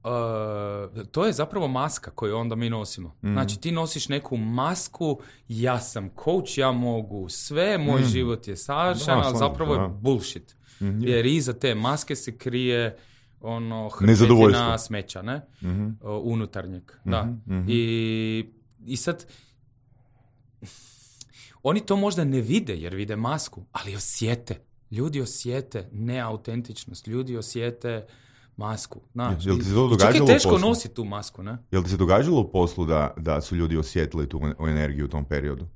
Uh, to je zapravo maska koju onda mi nosimo. Mm. Znači, ti nosiš neku masku, ja sam coach, ja mogu sve, moj mm. život je savršen, ali zapravo da. je bullshit. Mm, jer iza te maske se krije ono hrpetina smeća, ne? Mm-hmm. Uh, unutarnjeg. Mm-hmm. Da. Mm-hmm. I, I sad... Oni to možda ne vide jer vide masku, ali osjete. Ljudi osjete neautentičnost, ljudi osjete masku. Znaš, jel ti se to događalo čak je teško nositi tu masku, ne? Jel ti se događalo u poslu da, da su ljudi osjetili tu energiju u tom periodu?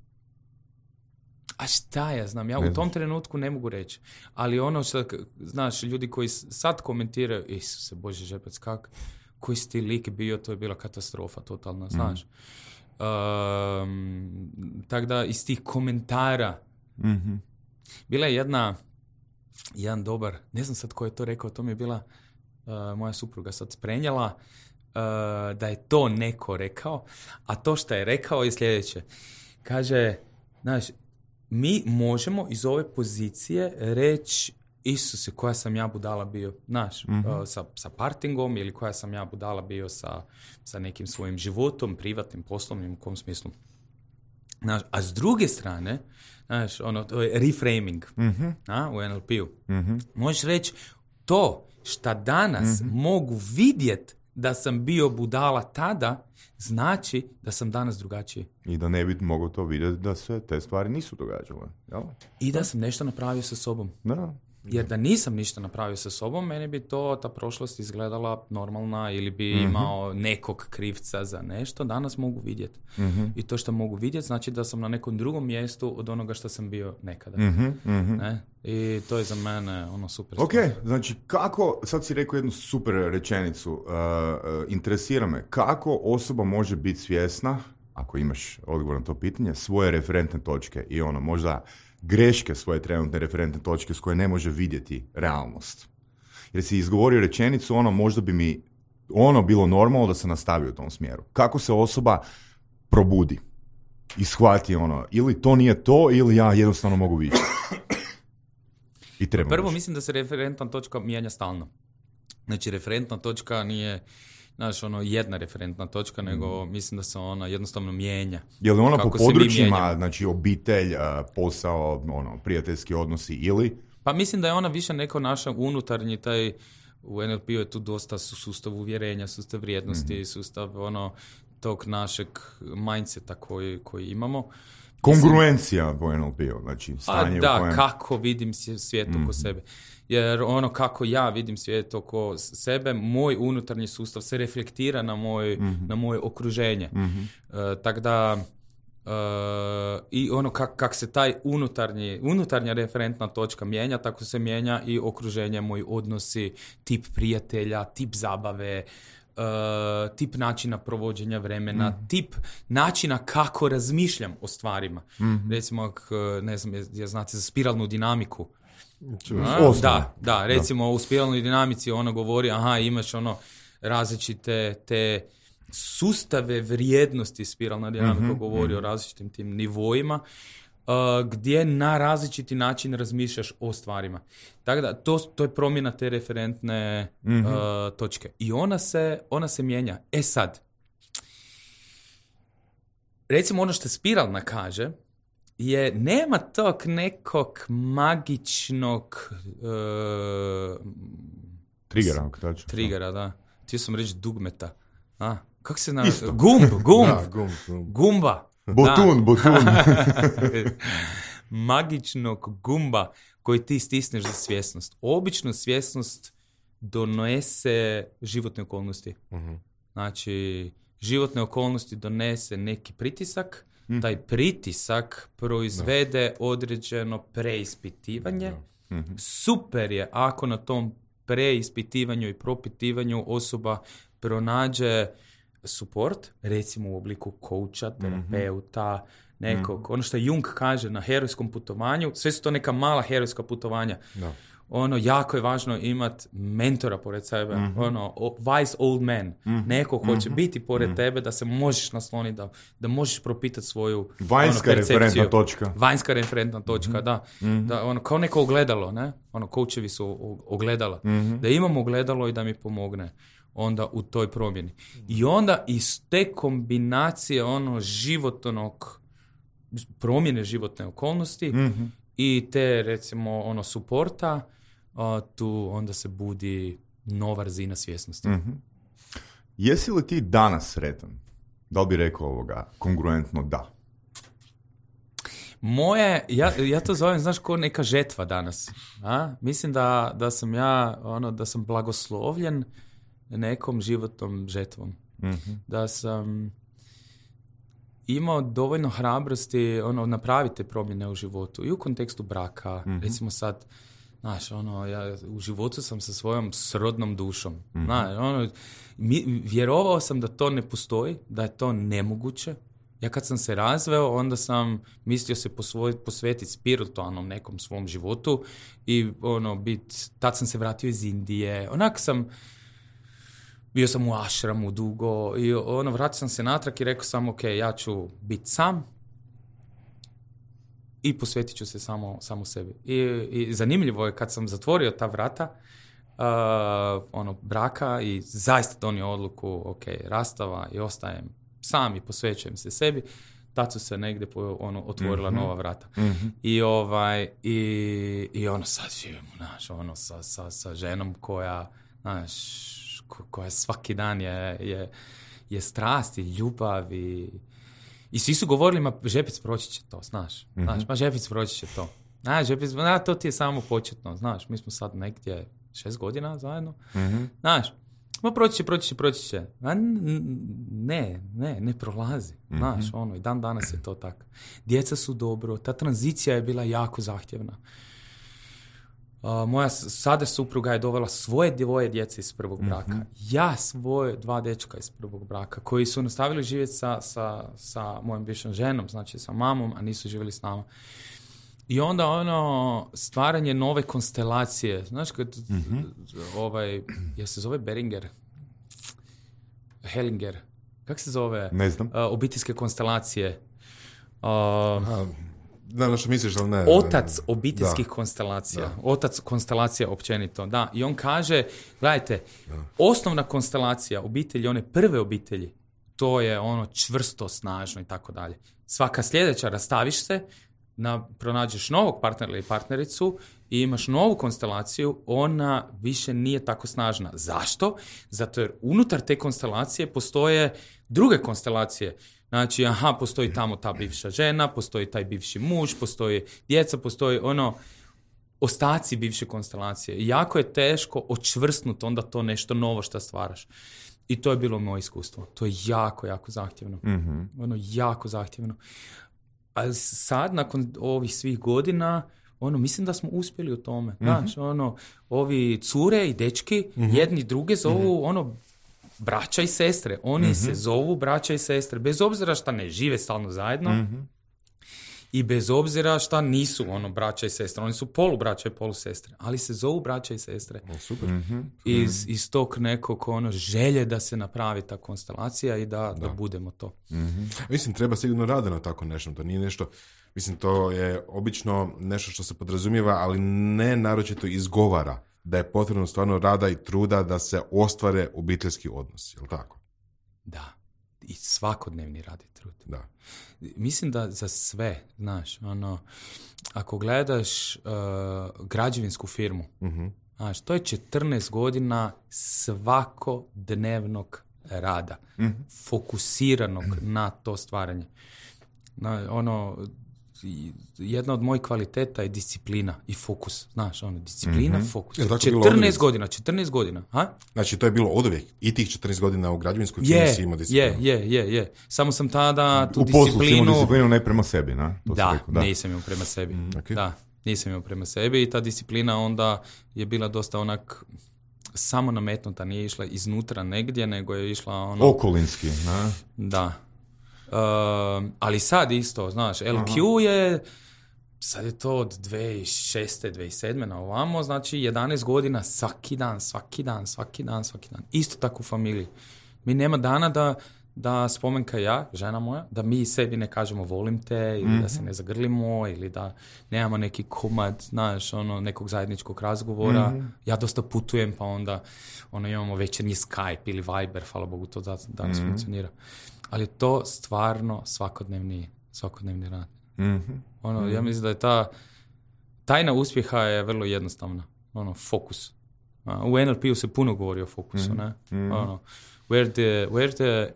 A šta ja znam, ja ne u tom znaš. trenutku ne mogu reći. Ali ono što, znaš, ljudi koji sad komentiraju, Isuse Bože žepac, kak, koji si ti lik bio, to je bila katastrofa totalna, znaš. Mm. Um, tako da iz tih komentara mm-hmm. bila je jedna jedan dobar, ne znam sad ko je to rekao, to mi je bila uh, moja supruga sad sprenjala uh, da je to neko rekao, a to što je rekao je sljedeće, kaže, znaš, mi možemo iz ove pozicije reći Isuse, koja sam ja budala bio, znaš, mm-hmm. uh, sa, sa partingom ili koja sam ja budala bio sa, sa nekim svojim životom, privatnim, poslovnim, u kom smislu. Znaš, a s druge strane, znaš, ono, to je reframing mm-hmm. a, u N L P-u. Mm-hmm. Možeš reći, to šta danas mm-hmm. mogu vidjeti da sam bio budala tada, znači da sam danas drugačiji. I da ne bi mogao to vidjeti da se te stvari nisu događale. Jel? I da sam nešto napravio sa sobom. Da. Jer da nisam ništa napravio sa sobom, meni bi to, ta prošlost izgledala normalna ili bi mm-hmm. imao nekog krivca za nešto. Danas mogu vidjeti. Mm-hmm. I to što mogu vidjeti znači da sam na nekom drugom mjestu od onoga što sam bio nekada. Mm-hmm. Ne? I to je za mene ono super. Ok, stvar. Znači kako, sad si rekao jednu super rečenicu, uh, uh, interesira me, kako osoba može biti svjesna, ako imaš odgovor na to pitanje, svoje referentne točke i ono, možda greške svoje trenutne referentne točke s koje ne može vidjeti realnost. Jer si izgovorio rečenicu, ono, možda bi mi ono bilo normalno da se nastavi u tom smjeru. Kako se osoba probudi i shvati ono, ili to nije to, ili ja jednostavno mogu vidjeti. I treba Prvo više. Mislim da se referentna točka mijenja stalno. Znači, referentna točka nije, znaš, ono, jedna referentna točka, nego mm. mislim da se ona jednostavno mijenja. Je li ona po područjima, znači obitelj, posao, ono, prijateljski odnosi ili? Pa mislim da je ona više neko naša unutarnji taj, u N L P-u je tu dosta sustav uvjerenja, sustav vrijednosti, mm-hmm. sustav ono, tog našeg mindseta koji, koji imamo. Kongruencija u N L P-u, znači stanje da, u kojem... kako vidim svijet oko mm-hmm. sebe. Jer ono kako ja vidim svijet oko sebe, moj unutarnji sustav se reflektira na, moj, mm-hmm. na moje okruženje. Mm-hmm. Uh, tako da uh, i ono kak, kak se taj unutarnji, unutarnja referentna točka mijenja, tako se mijenja i okruženje, moji odnosi, tip prijatelja, tip zabave, Uh, tip načina provođenja vremena, mm. tip načina kako razmišljam o stvarima. Mm-hmm. Recimo, ne znam, je, je znate za spiralnu dinamiku. A, da, da, recimo da. U spiralnoj dinamici ona govori, aha, imaš ono različite te sustave vrijednosti, spiralna dinamika mm-hmm. govori mm-hmm. o različitim tim nivoima, uh, gdje na različiti način razmišljaš o stvarima. Tako da, to, to je promjena te referentne mm-hmm. uh, točke. I ona se, ona se mijenja. E sad, recimo ono što spiralna kaže, je nema tog nekog magičnog uh, triggera, s- triggera, da. Htio sam reći dugmeta. A, kako se zna? Gumb, gumb. Da, gumb, gumb. Gumba. Butun, butun. Magičnog gumba koji ti stisneš za svjesnost. Obično svjesnost donese životne okolnosti. Uh-huh. Znači, životne okolnosti donese neki pritisak, mm. taj pritisak proizvede no. određeno preispitivanje. No. Mm-hmm. Super je ako na tom preispitivanju i propitivanju osoba pronađe support, recimo u obliku coacha, terapeuta, nekog, mm-hmm. ono što Jung kaže na herojskom putovanju, sve su to neka mala herojska putovanja. No. Ono, jako je važno imati mentora pored sebe, mm-hmm. ono, wise old man, mm-hmm. neko ko će mm-hmm. biti pored mm-hmm. tebe da se možeš nasloniti, da, da možeš propitati svoju vanjska ono, referentna točka. Vanjska referentna točka, mm-hmm. da. Mm-hmm. da ono, kao neko ogledalo, ne? Ono, coachevi su ogledala. Mm-hmm. Da imam ogledalo i da mi pomogne onda u toj promjeni. I onda iz te kombinacije ono životnog, promjene životne okolnosti mm-hmm. i te, recimo, ono, suporta, a, tu onda se budi nova razina svjesnosti. Mm-hmm. Jesi li ti danas sretan? Da li bi rekao ovoga kongruentno da? Moje, ja, ja to zovem, znaš, ko neka žetva danas. A? Mislim da, da sam ja, ono, da sam blagoslovljen nekom životnom žetvom. Mm-hmm. Da sam imao dovoljno hrabrosti ono, napraviti promjene u životu i u kontekstu braka. Mm-hmm. Recimo sad, znaš, ono, ja u životu sam sa svojom srodnom dušom. Mm-hmm. Znaš, ono, mi, vjerovao sam da to ne postoji, da je to nemoguće. Ja kad sam se razveo, onda sam mislio se posvoj, posvetiti spiritualnom nekom svom životu i ono, bit, tad sam se vratio iz Indije. Onak sam bio sam u ašramu dugo i ono, vratio sam se natrag i rekao sam, ok, ja ću biti sam i posvetit ću se samo, samo sebi. I, i zanimljivo je kad sam zatvorio ta vrata uh, ono, braka i zaista donio odluku, ok, rastava i ostajem sam i posvećujem se sebi, tad su se negdje po, ono, otvorila mm-hmm. nova vrata. Mm-hmm. I, ovaj, i, i ono, sad živimo, znaš, ono, sa, sa, sa ženom koja, znaš, koja svaki dan je, je, je strast i ljubav i, i svi su govorili, ma Žepic proći će to, znaš, mm-hmm. znaš, ma Žepic proći će to. Znaš, Žepic, na, to ti je samo početno, znaš, mi smo sad negdje šest godina zajedno, mm-hmm. znaš, ma proći će, proći će, proći će. A ne, ne, ne prolazi, mm-hmm. znaš, ono, i dan danas je to tako. Djeca su dobro, ta tranzicija je bila jako zahtjevna. Uh, moja sada supruga je dovela svoje dvoje djece iz prvog braka. Mm-hmm. Ja svoje dva dečka iz prvog braka koji su nastavili živjeti sa, sa, sa mojom bivšom ženom, znači sa mamom, a nisu živjeli s nama. I onda ono stvaranje nove konstelacije. Znaš kad mm-hmm. ovaj, ja se zove Beringer? Hellinger. Kako se zove? Ne znam. Uh, obiteljske konstelacije. Uh, Aha. Da, što misliš, ali ne. Otac obiteljskih da. konstelacija. Da. Otac konstelacija općenito, da. I on kaže, gledajte, da. osnovna konstelacija obitelji, one prve obitelji, to je ono čvrsto, snažno i tako dalje. Svaka sljedeća, rastaviš se, na, pronađeš novog partnera ili partnericu i imaš novu konstelaciju, ona više nije tako snažna. Zašto? Zato jer unutar te konstelacije postoje druge konstelacije. Znači, aha, postoji tamo ta bivša žena, postoji taj bivši muž, postoji djeca, postoji ono, ostaci bivše konstelacije. I jako je teško očvrsnuti onda to nešto novo što stvaraš. I to je bilo moje iskustvo. To je jako, jako zahtjevno. Mm-hmm. Ono, jako zahtjevno. A sad, nakon ovih svih godina, ono, mislim da smo uspjeli u tome. Mm-hmm. Znači, ono, ovi cure i dečki, mm-hmm. jedni druge zovu, mm-hmm. ono, braća i sestre. Oni mm-hmm. se zovu braća i sestre, bez obzira što ne žive stalno zajedno. Mm-hmm. I bez obzira šta nisu ono braća i sestre, oni su polubraća i polusestre, ali se zovu braća i sestre. O, super. Mm-hmm. Iz, iz tog nekog ono želje da se napravi ta konstelacija i da, da. da budemo to. Mm-hmm. Mislim, treba sigurno rada na tako nešto. To nije nešto, mislim, to je obično nešto što se podrazumijeva, ali ne naročito izgovara da je potrebno stvarno rada i truda da se ostvare obiteljski odnosi, je li tako? Da. I svakodnevni rad i trud. Da. Mislim da za sve, znaš, ono, ako gledaš uh, građevinsku firmu, Uh-huh. znaš, to je četrnaest godina svakodnevnog rada, Mm-hmm. fokusiranog na to stvaranje. Na, ono, jedna od mojih kvaliteta je disciplina i fokus, znaš, ono, disciplina, Mm-hmm. fokus. Jel tako četrnaest godina, četrnaest godina, ha? Znači, to je bilo oduvijek. I tih četrnaest godina u građevinskoj firmi Je, si imao disciplinu. je, je, je, je. Samo sam tada tu U poslu si disciplinu... imao disciplinu ne prema sebi, na? To si Da, rekao, da, nisam imao prema sebi. Mm, okay. Da, nisam imao prema sebi i ta disciplina onda je bila dosta onak samo nametnuta, nije išla iznutra negdje, nego je išla ono... Okolinski, na? Da. Um, ali sad isto, znaš, L Q je, sad je to od dvije tisuće šeste. dvije tisuće sedme na ovamo, znači jedanaest godina svaki dan, svaki dan, svaki dan, svaki dan. Isto tako u familiji. Mi nema dana da, da Spomenka ja, žena moja, da mi sebi ne kažemo volim te, ili mm-hmm. da se ne zagrlimo, ili da nemamo neki komad, znaš, ono, nekog zajedničkog razgovora. Mm-hmm. Ja dosta putujem, pa onda ono, imamo večernji Skype ili Viber, hvala Bogu, to danas mm-hmm. funkcionira. Ali to stvarno svakodnevni, svakodnevni rad. Mm-hmm. Ono, mm-hmm. ja mislim da je ta tajna uspjeha je vrlo jednostavna. Ono, fokus. A, u N L P-u se puno govori o fokusu, mm-hmm. ne? Ono, where the, where the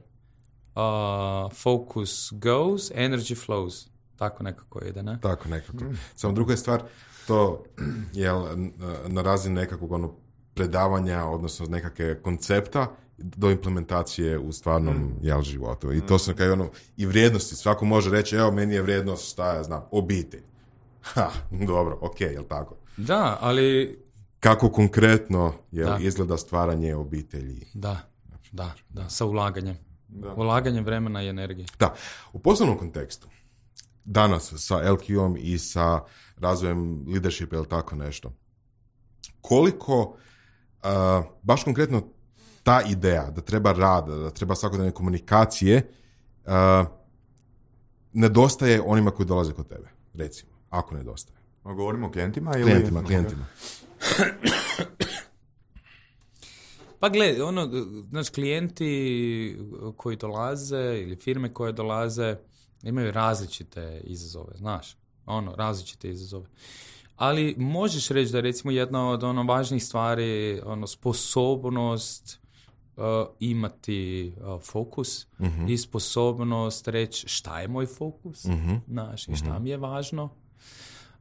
uh, focus goes, energy flows. Tako nekako ide, ne? Tako nekako. Mm. Samo druga je stvar, to je na razini nekakvog ono predavanja, odnosno nekakve koncepta do implementacije u stvarnom mm. jel, životu. I to su kao ono, i vrijednosti. Svako može reći, evo, meni je vrijednost, šta ja znam, obitelj. Ha, dobro, ok, jel tako? Da, ali... Kako konkretno jel, izgleda stvaranje obitelji? Da, da, da, sa ulaganjem. Da. Ulaganjem vremena i energije. Da, u poslovnom kontekstu, danas sa L Q-om i sa razvojem leadershipa ili tako nešto, koliko uh, baš konkretno ta ideja da treba rada, da treba svakodnevne komunikacije uh, nedostaje onima koji dolaze kod tebe, recimo, ako nedostaje. A govorimo o klijentima ili... Klijentima, klijentima. Pa gle, ono, znaš, klijenti koji dolaze ili firme koje dolaze imaju različite izazove, znaš, ono, različite izazove. Ali možeš reći da je recimo jedna od ono važnijih stvari, ono, sposobnost uh, imati uh, fokus uh-huh. i sposobnost reći šta je moj fokus, uh-huh. znaš, i šta uh-huh. mi je važno.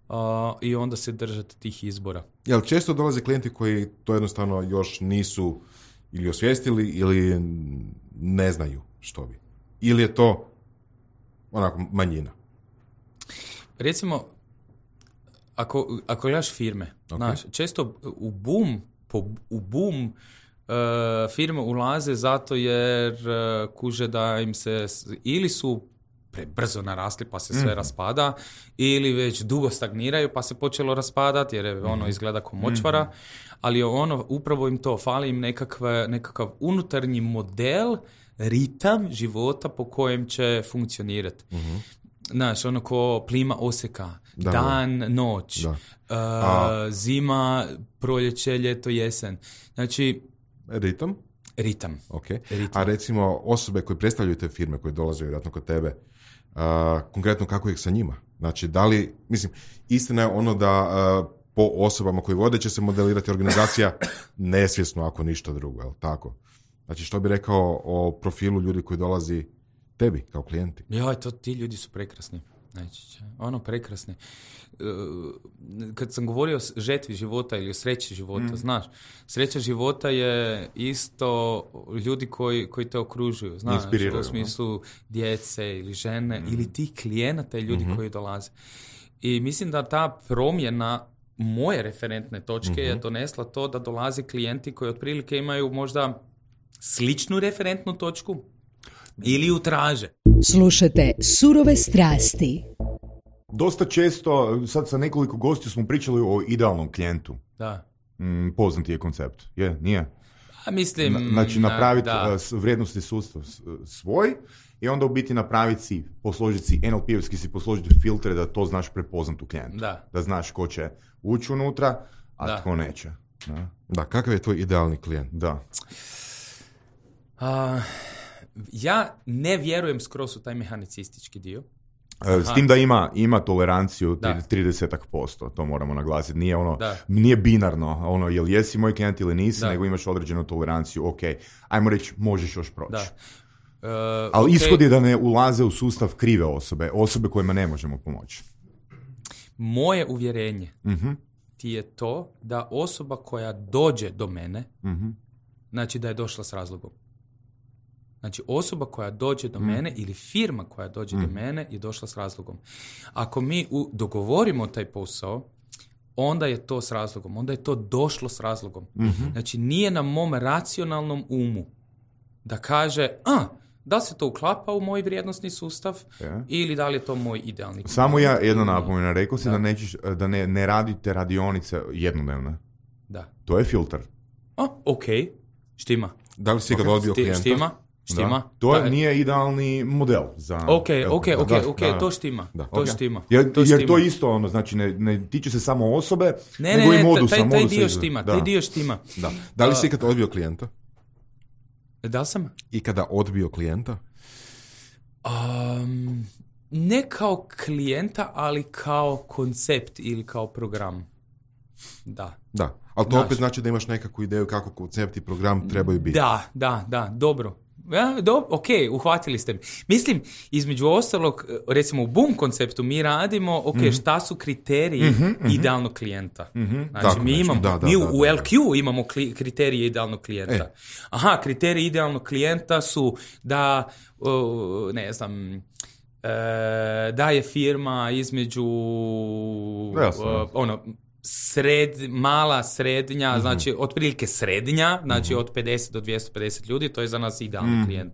Uh, i onda se držati tih izbora. Jel često dolaze klijenti koji to jednostavno još nisu ili osvijestili ili ne znaju što bi? Ili je to onako manjina? Recimo, ako, ako gledaš firme, okay. znaš, često u boom, po, u boom uh, firme ulaze zato jer uh, kuže da im se ili su prebrzo narasli pa se sve mm-hmm. raspada, ili već dugo stagniraju pa se počelo raspadati jer je ono izgleda kao močvara, mm-hmm. ali ono upravo im to, fali im nekakve, nekakav unutarnji model, ritam života po kojem će funkcionirati. Mm-hmm. Znaš, ono ko plima oseka, da, dan, da. noć, da. Uh, zima, proljeće, ljeto, jesen. Znači... Ritam? Ritam. Okay. Ritam. A recimo osobe koje predstavljaju te firme koje dolaze vjerojatno kod tebe, uh, konkretno kako ih sa njima? Znači, da li, mislim, istina je ono da uh, po osobama koji vode će se modelirati organizacija nesvjesno ako ništa drugo, jel tako? Znači, što bi rekao o profilu ljudi koji dolazi tebi kao klijenti? Joj, to ti ljudi su prekrasni. Znači, ono prekrasni. Kad sam govorio o žetvi života ili o sreći života, mm. znaš, sreća života je isto ljudi koji, koji te okružuju, znaš, u smislu djece ili žene mm. ili tih klijenata i ljudi mm-hmm. koji dolaze. I mislim da ta promjena moje referentne točke mm-hmm. je donesla to da dolaze klijenti koji otprilike imaju možda sličnu referentnu točku ili ju traže. Slušate Surove strasti. dosta često, sad sa nekoliko gostiju smo pričali o idealnom klijentu. Da. Mm, poznati je koncept. Je, nije? A mislim... Na, znači napraviti da. vrijednostni sustav svoj i onda u biti napraviti si, posložiti si en el pe-evski si posložiti filtre da to znaš prepoznat u klijentu. Da. Da znaš ko će ući unutra, a Da. tko neće. Da. Da, kakav je tvoj idealni klijent? Da. A, ja ne vjerujem skroz u taj mehanicistički dio. E, S tim da ima, ima toleranciju Da. trideset posto, to moramo naglasiti. Nije ono, Da. nije binarno, ono, jel jesi moj klijent ili nisi, Da. nego imaš određenu toleranciju, ok, ajmo reći, možeš još proći. Da. Uh, Ali ok, ishod je da ne ulaze u sustav krive osobe, osobe kojima ne možemo pomoći. Moje uvjerenje Mhm, ti je to da osoba koja dođe do mene, mhm, znači da je došla s razlogom. Znači osoba koja dođe do mene ili firma koja dođe do mene je došla s razlogom. Ako mi u, dogovorimo taj posao, onda je to s razlogom. Onda je to došlo s razlogom. Znači nije na mom racionalnom umu da kaže, a, da li se to uklapa u moj vrijednosni sustav Ja. ili da li je to moj idealni. Samo ja jedna napomena, rekao si da, Da. nećeš, da ne, ne radite radionice jednodnevne. Da. To je filter. A, ok, štima. Da li si ga odbio Šti- klijenta? Štima, štima. Da. To Da. nije idealni model za... Ok, Evo, ok, ok, da, ok, da, da. to štima. Da. To Ok. štima. Jer, to jer štima. to isto ono, znači ne, ne tiče se samo osobe, Ne, nego ne, i ne, modusa. taj, taj modusa dio iz- štima, da. taj dio štima. Da. Da li si ikad odbio klijenta? Da li sam? Ikada odbio klijenta? Um, ne kao klijenta, ali kao koncept ili kao program. Da. Da. Ali to Znaš. opet znači da imaš nekakvu ideju kako koncept i program trebaju biti. Da, da, da, dobro. Ja, do, ok, uhvatili ste mi. Mislim, između ostalog, recimo u Boom konceptu mi radimo, ok, Mhm. šta su kriteriji idealnog klijenta. Znači, Tako mi, nešto, imamo, da, da, mi da, u da, el kju imamo kli, kriterije idealnog klijenta. E. Aha, kriteriji idealnog klijenta su da, uh, ne znam, uh, da je firma između Jasno. uh, ono, sred, mala, srednja, znači otprilike srednja, znači od pedeset do dvjesto pedeset ljudi, to je za nas idealni klijent.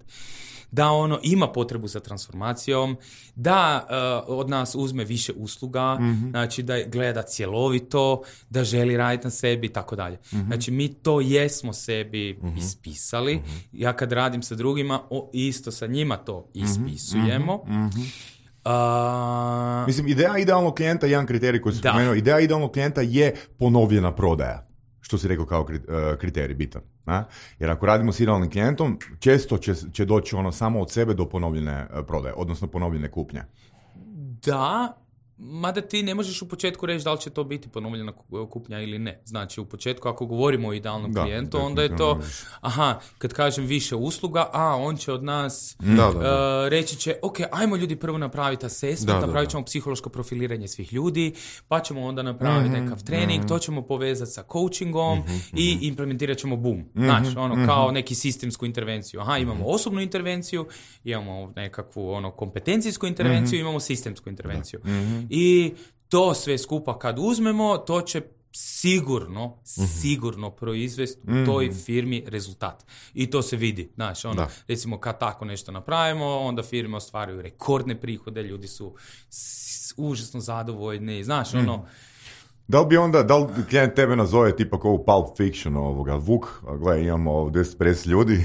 Da ono ima potrebu za transformacijom, da uh, od nas uzme više usluga, znači da gleda cjelovito, da želi raditi na sebi i tako dalje. Znači mi to jesmo sebi ispisali. Ja kad radim sa drugima, o, isto sa njima to ispisujemo. A, Mislim, ideja idealnog klijenta je jedan kriterij koji sam Da. spomenuo. Ideja idealnog klijenta je ponovljena prodaja. Što si rekao kao kri- uh, kriterij bitan. A? Jer ako radimo s idealnim klijentom, često će, će doći ono samo od sebe do ponovljene uh, prodaje, odnosno ponovljene kupnje. Da, mada ti ne možeš u početku reći da li će to biti ponovljena ku- kupnja ili ne. Znači, u početku ako govorimo o idealnom Da, klijentu, onda je to, definitivno možeš. aha, kad kažem više usluga, a on će od nas Da, da, da. uh, reći će, ok, ajmo ljudi prvo napraviti assessment, Da, da, napravit da. ćemo psihološko profiliranje svih ljudi, pa ćemo onda napraviti Mhm, nekakav trening, to ćemo povezati sa coachingom Mhm, i implementirat ćemo boom. Znaš, ono, kao neki sistemsku intervenciju. Aha, imamo osobnu intervenciju, imamo nekakvu ono, kompetencijsku intervenciju, imamo sistemsku intervenciju. I to sve skupa kad uzmemo, to će sigurno, sigurno proizvesti u toj firmi rezultat. I to se vidi. Znaš, ono, Da. recimo kad tako nešto napravimo, onda firme ostvaruju rekordne prihode, ljudi su s- užasno zadovoljni. Znaš, ono, Da li bi onda, da li klijent tebe nazove tipa kao u Pulp Fiction ovoga, Vuk, a gle, imamo ovdje deset pedeset ljudi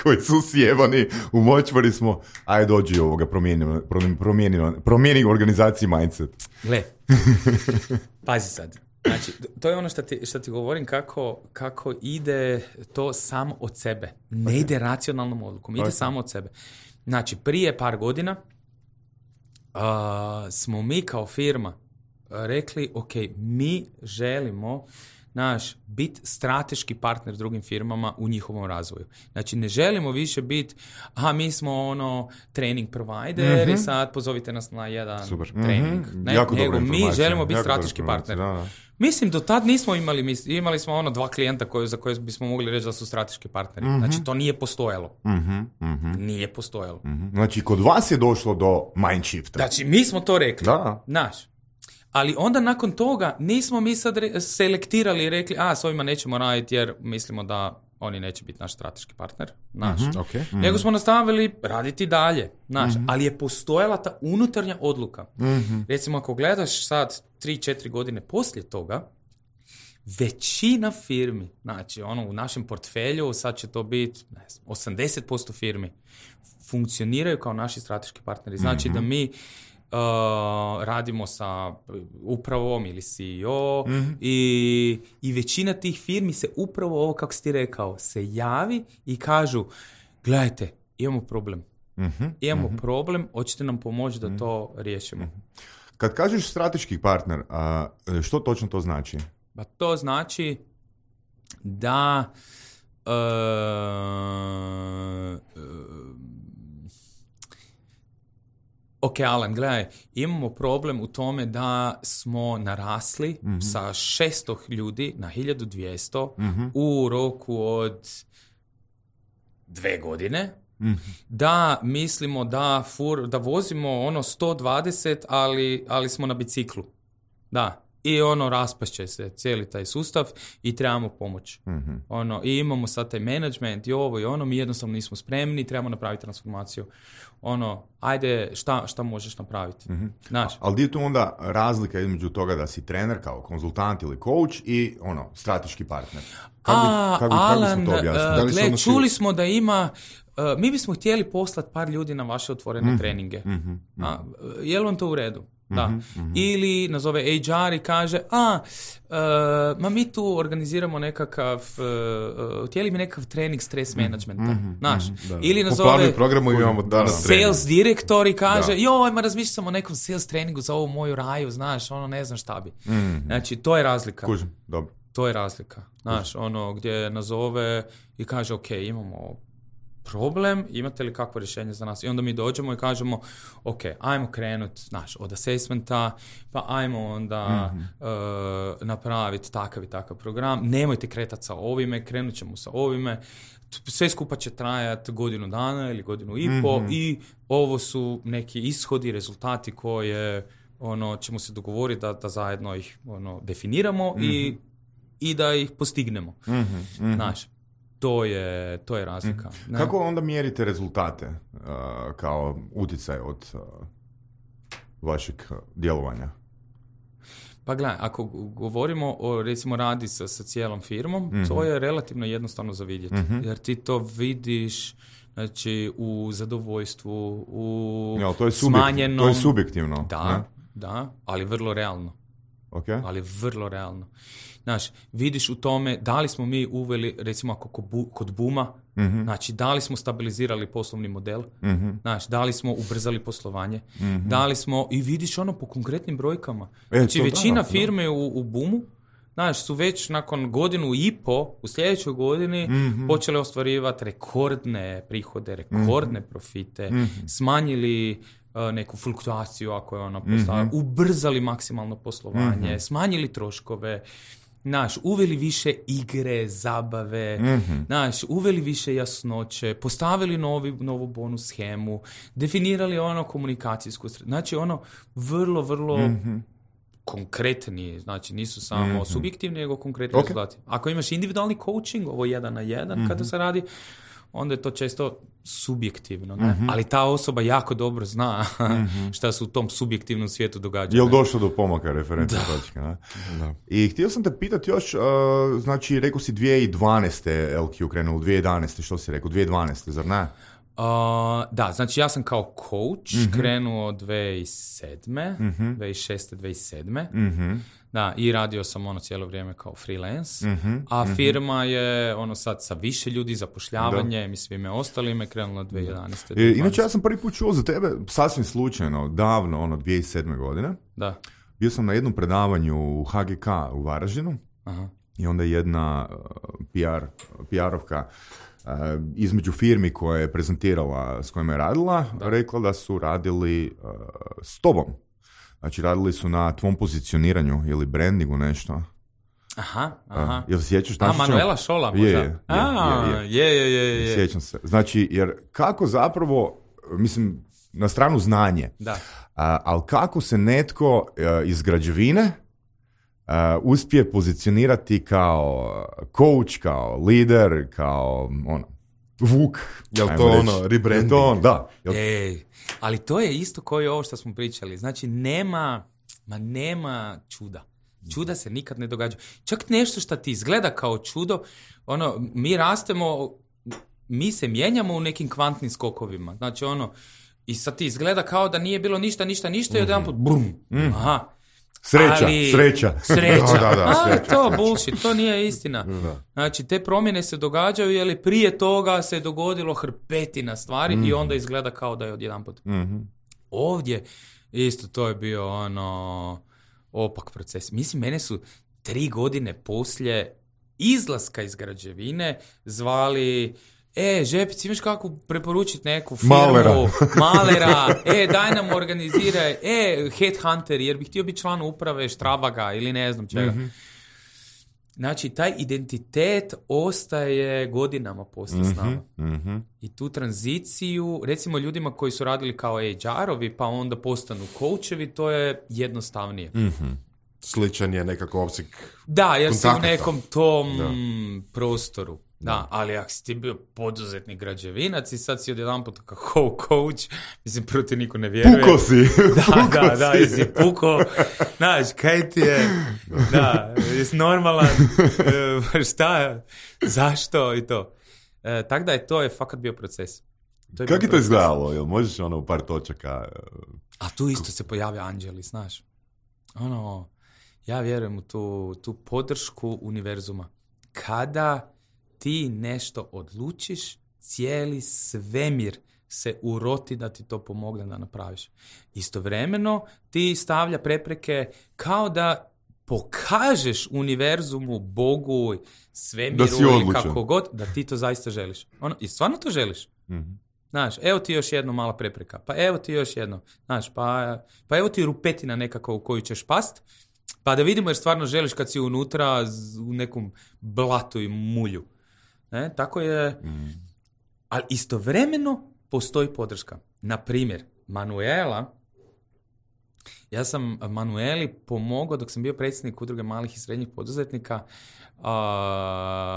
koji su sjebani, u močvari smo, aj dođi ovoga, promijeni, promijeni, promijeni, promijeni organizaciji mindset. gle, pazi sad. Znači, to je ono što ti, što ti govorim kako, kako ide to samo od sebe. Ne ide racionalnom odlukom, ide Ok. samo od sebe. Znači, prije par godina uh, smo mi kao firma rekli, ok, mi želimo naš biti strateški partner drugim firmama u njihovom razvoju. Znači, ne želimo više biti, aha, mi smo ono training provider i sad pozovite nas na jedan Super. trening. Ne, Jako dobra nego mi informacija, želimo biti jako dobra strateški informacija, partner. da, da. Mislim, do tad nismo imali, mis- imali smo ono dva klijenta koje, za koje bismo mogli reći da su strateški partneri. Znači, to nije postojalo. Nije postojalo. Mhm. Znači, kod vas je došlo do mind shifta. Znači, mi smo to rekli. Da. Znaš. Ali onda nakon toga nismo mi sad re- selektirali i rekli, a, s ovima nećemo raditi jer mislimo da oni neće biti naš strateški partner, naš. Mm-hmm, okay. mm-hmm. Nego smo nastavili raditi dalje, naš. Mm-hmm. Ali je postojala ta unutarnja odluka. Mm-hmm. Recimo, ako gledaš sad tri četiri godine poslije toga, većina firmi, znači ono u našem portfelju, sad će to biti ne znam, osamdeset posto firmi, funkcioniraju kao naši strateški partneri. Znači mm-hmm. da mi Uh, radimo sa upravom ili C E O mm-hmm. i, i većina tih firmi se upravo ovo, kako si ti rekao, se javi i kažu, gledajte, imamo problem. Mm-hmm. Imamo mm-hmm. problem, hoćete nam pomoći da to riješimo. Mm-hmm. Kad kažeš strateški partner, a, što točno to znači? Pa to znači da uh, uh, ok, Alan, gledaj, imamo problem u tome da smo narasli mm-hmm. sa šesto ljudi na hiljadu dvjesto mm-hmm. u roku od dve godine, mm-hmm. da mislimo da, fur, da vozimo ono sto dvadeset, ali, ali smo na biciklu. Da. I ono, raspašće se cijeli taj sustav i trebamo pomoć. Mm-hmm. Ono, i imamo sad taj management i ovo i ono, mi jednostavno nismo spremni, trebamo napraviti transformaciju. Ono, ajde, šta, šta možeš napraviti? Mm-hmm. Znaš? Ali gdje je tu onda razlika između toga da si trener kao konzultant ili coach i ono, strateški partner? Kako A, kako, Alan, kako to uh, gle, čuli smo da ima, uh, mi bismo htjeli poslati par ljudi na vaše otvorene mm-hmm. treninge. Mm-hmm. A, je li on to u redu? Da. Mm-hmm. Ili nazove H R i kaže, a, uh, ma mi tu organiziramo nekakav, uh, htjeli mi nekakav trening stres managementa, mm-hmm. znaš. Mm-hmm. Ili nazove programu imamo danas sales direktor i kaže, joj, ma razmišljam sam o nekom sales treningu za ovu moju raju, znaš, ono, ne znam šta bi. Mm-hmm. Znači, to je razlika. Kužim, dobro. To je razlika, znaš, ono, gdje nazove i kaže, ok, imamo problem, imate li kakvo rješenje za nas? I onda mi dođemo i kažemo, ok, ajmo krenut, znaš, od assessmenta, pa ajmo onda mm-hmm. uh, napraviti takav i takav program. Nemojte kretati sa ovime, krenut ćemo sa ovime. Sve skupa će trajati godinu dana ili godinu i po mm-hmm. i ovo su neki ishodi, rezultati koje ono, ćemo se dogovoriti da, da zajedno ih ono, definiramo mm-hmm. i, i da ih postignemo. Mm-hmm. Mm-hmm. Znaš, To je, to je razlika. Mm. Kako onda mjerite rezultate uh, kao utjecaj od uh, vašeg djelovanja? Pa gledaj, ako govorimo o, recimo, radi sa, sa cijelom firmom, mm-hmm. to je relativno jednostavno za vidjeti. Mm-hmm. Jer ti to vidiš, znači, u zadovoljstvu, u ja, to je smanjenom... To je subjektivno. Da, ne? Da, ali vrlo realno. Okay. Ali vrlo realno. Znaš, vidiš u tome da li smo mi uveli, recimo ako kod Booma, mm-hmm. znači da li smo stabilizirali poslovni model, mm-hmm. znaš, da li smo ubrzali poslovanje, mm-hmm. da li smo, i vidiš ono po konkretnim brojkama. E, znači većina da, firme da. u, u Boomu, znaš, su već nakon godinu i po, u sljedećoj godini, mm-hmm. počeli ostvarivati rekordne prihode, rekordne mm-hmm. profite, mm-hmm. smanjili uh, neku fluktuaciju ako je ona postala, mm-hmm. ubrzali maksimalno poslovanje, mm-hmm. smanjili troškove, znaš, uveli više igre, zabave, mm-hmm. znaš, uveli više jasnoće, postavili novi, novu bonus schemu, definirali ono komunikacijsku, znači ono vrlo, vrlo mm-hmm. konkretni, znači nisu samo mm-hmm. subjektivni, nego konkretni okay. rezultati. Ako imaš individualni coaching, ovo jedan na jedan mm-hmm. kada se radi, onda je to često subjektivno, ne? Mm-hmm. Ali ta osoba jako dobro zna mm-hmm. šta se u tom subjektivnom svijetu događa. Je li došlo do pomaka referentne točke? Ne? Da. I htio sam te pitati još, uh, znači rekao si dvije tisuće dvanaeste L Q krenuo, dvije tisuće jedanaeste, što si rekao, dvije tisuće dvanaeste, zar ne? Uh, da, znači ja sam kao coach mm-hmm. krenuo dvije tisuće sedme, mm-hmm. dvije tisuće šeste, dvije tisuće sedme. Mm-hmm. Da, i radio sam ono cijelo vrijeme kao freelance, mm-hmm. a firma mm-hmm. je ono sad sa više ljudi, zapošljavanje i svime ostalime krenula dvije tisuće jedanaeste. E, inače ja sam prvi put čuo za tebe sasvim slučajno, davno, ono dvije tisuće sedme godine. Da. Bio sam na jednom predavanju u H G K u Varaždinu. Aha. I onda jedna uh, P R, P R-ovka uh, između firmi koja je prezentirala, s kojima je radila, da. rekla da su radili uh, s tobom. Znači, radili su na tvom pozicioniranju ili brandingu nešto. Aha, aha. Uh, jel se sjećaš? A, Manuela Šola možda? Je, je, A, je, je, je, je, je. Sjećam se. Znači, jer kako zapravo, mislim, na stranu znanje, da. Uh, ali kako se netko uh, iz građevine uh, uspije pozicionirati kao coach, kao lider, kao ono, vuk. Jel to ono, rebranding? To on, da. Jel... Ej, ali to je isto kao i ovo što smo pričali. Znači, nema, ma nema čuda. Čuda se nikad ne događa. Čak nešto što ti izgleda kao čudo, ono, mi rastemo, mi se mijenjamo u nekim kvantnim skokovima. Znači, ono, i sad ti izgleda kao da nije bilo ništa, ništa, ništa mm-hmm. i odjedanput, brum, mm-hmm. aha. Sreća, ali, sreća. Sreća. da, da, da, ali sreća, to sreća. bullshit, to nije istina. Da. Znači, te promjene se događaju, jer prije toga se dogodilo hrpetina stvari mm-hmm. i onda izgleda kao da je odjedanput. Mm-hmm. Ovdje, isto to je bio ono opak proces. Mislim, mene su tri godine poslije izlaska iz građevine zvali, e, Žepic, imaš kako preporučiti neku firmu? Malera. Malera. E, daj nam organiziraj. E, headhunter, jer bih htio biti član uprave Štrabaga ili ne znam čega. Mm-hmm. Znači, taj identitet ostaje godinama poslije mm-hmm. s nama. Mm-hmm. I tu tranziciju, recimo ljudima koji su radili kao H R-ovi, pa onda postanu coachevi, to je jednostavnije. Mm-hmm. Sličan je nekako opseg da, jer si kontakata. u nekom tom da. prostoru. Da, ali ako si ti bio poduzetnik građevinac i sad si odjedanput kao coach, mislim, prvo ti niko ne vjeruje. Puko si. Da, puko da, da, si. jesi puko. Znaš, kaj ti je, da, jesi normalan, šta, zašto i to. E, tako da je to je fakat bio proces. To je Kako je to izgledalo? Jel možeš ono u par točaka? A tu isto se pojavlja anđeli, znaš. Ono, ja vjerujem u tu, tu podršku univerzuma. Kada ti nešto odlučiš, cijeli svemir se uroti da ti to pomogne da napraviš. Istovremeno ti stavlja prepreke kao da pokažeš univerzumu, Bogu, svemiru ili kako god, da ti to zaista želiš. Ono, i stvarno to želiš. Mm-hmm. Znaš, evo ti još jedno mala prepreka, pa evo ti još jedno. Znaš, pa, pa evo ti rupetina nekako u koju ćeš past, pa da vidimo jer stvarno želiš kad si unutra u nekom blatu i mulju. Ne, tako je, mm. ali istovremeno postoji podrška. Na primjer, Manuela, ja sam Manueli pomogao dok sam bio predsjednik udruge malih i srednjih poduzetnika, uh,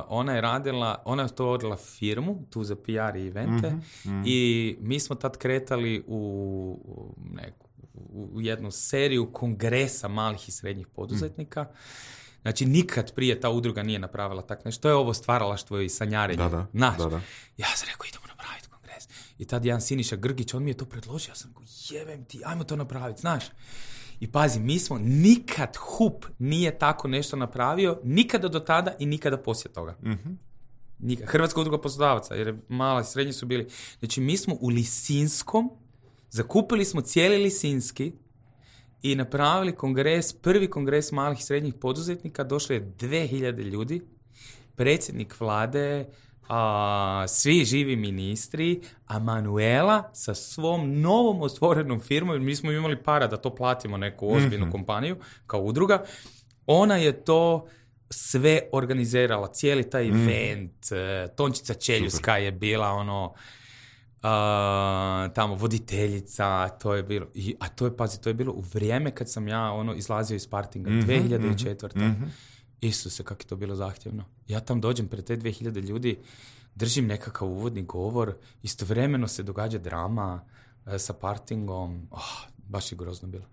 ona je radila, ona je to odla firmu, tu za P R i evente, mm-hmm. i mi smo tad kretali u neku, u jednu seriju kongresa malih i srednjih poduzetnika. Mm. Znači, nikad prije ta udruga nije napravila tak nešto. To je ovo stvaralaštvo i sanjarenje. Da, da, Znaš, da, da. ja sam rekao, idemo napraviti kongres. I tad jedan Siniša Grgić, on mi je to predložio. Ja sam rekao, jebem ti, ajmo to napraviti, znaš. I pazi, mi smo nikad H U P nije tako nešto napravio, nikada do tada i nikada poslije toga. Mm-hmm. Nikad. Hrvatska udruga poslodavaca, jer mala i srednji su bili. Znači, mi smo u Lisinskom, zakupili smo cijeli Lisinski, i napravili kongres, prvi kongres malih i srednjih poduzetnika, došlo je dvije hiljade ljudi, predsjednik vlade, a, svi živi ministri, a Manuela sa svom novom otvorenom firmom, mi smo imali para da to platimo neku ozbiljnu mm-hmm. kompaniju, kao udruga, ona je to sve organizirala, cijeli taj mm. event, Tončica Čeljuska Super. Je bila ono, Uh, tamo voditeljica, to je bilo, i, a to je, pazi, to je bilo u vrijeme kad sam ja ono izlazio iz partinga, mm-hmm, dvije hiljade četvrte. Mm-hmm. Isuse, kako je to bilo zahtjevno. Ja tam dođem pred te dvije hiljade ljudi, držim nekakav uvodni govor, istovremeno se događa drama uh, sa partingom, oh, baš je grozno bilo.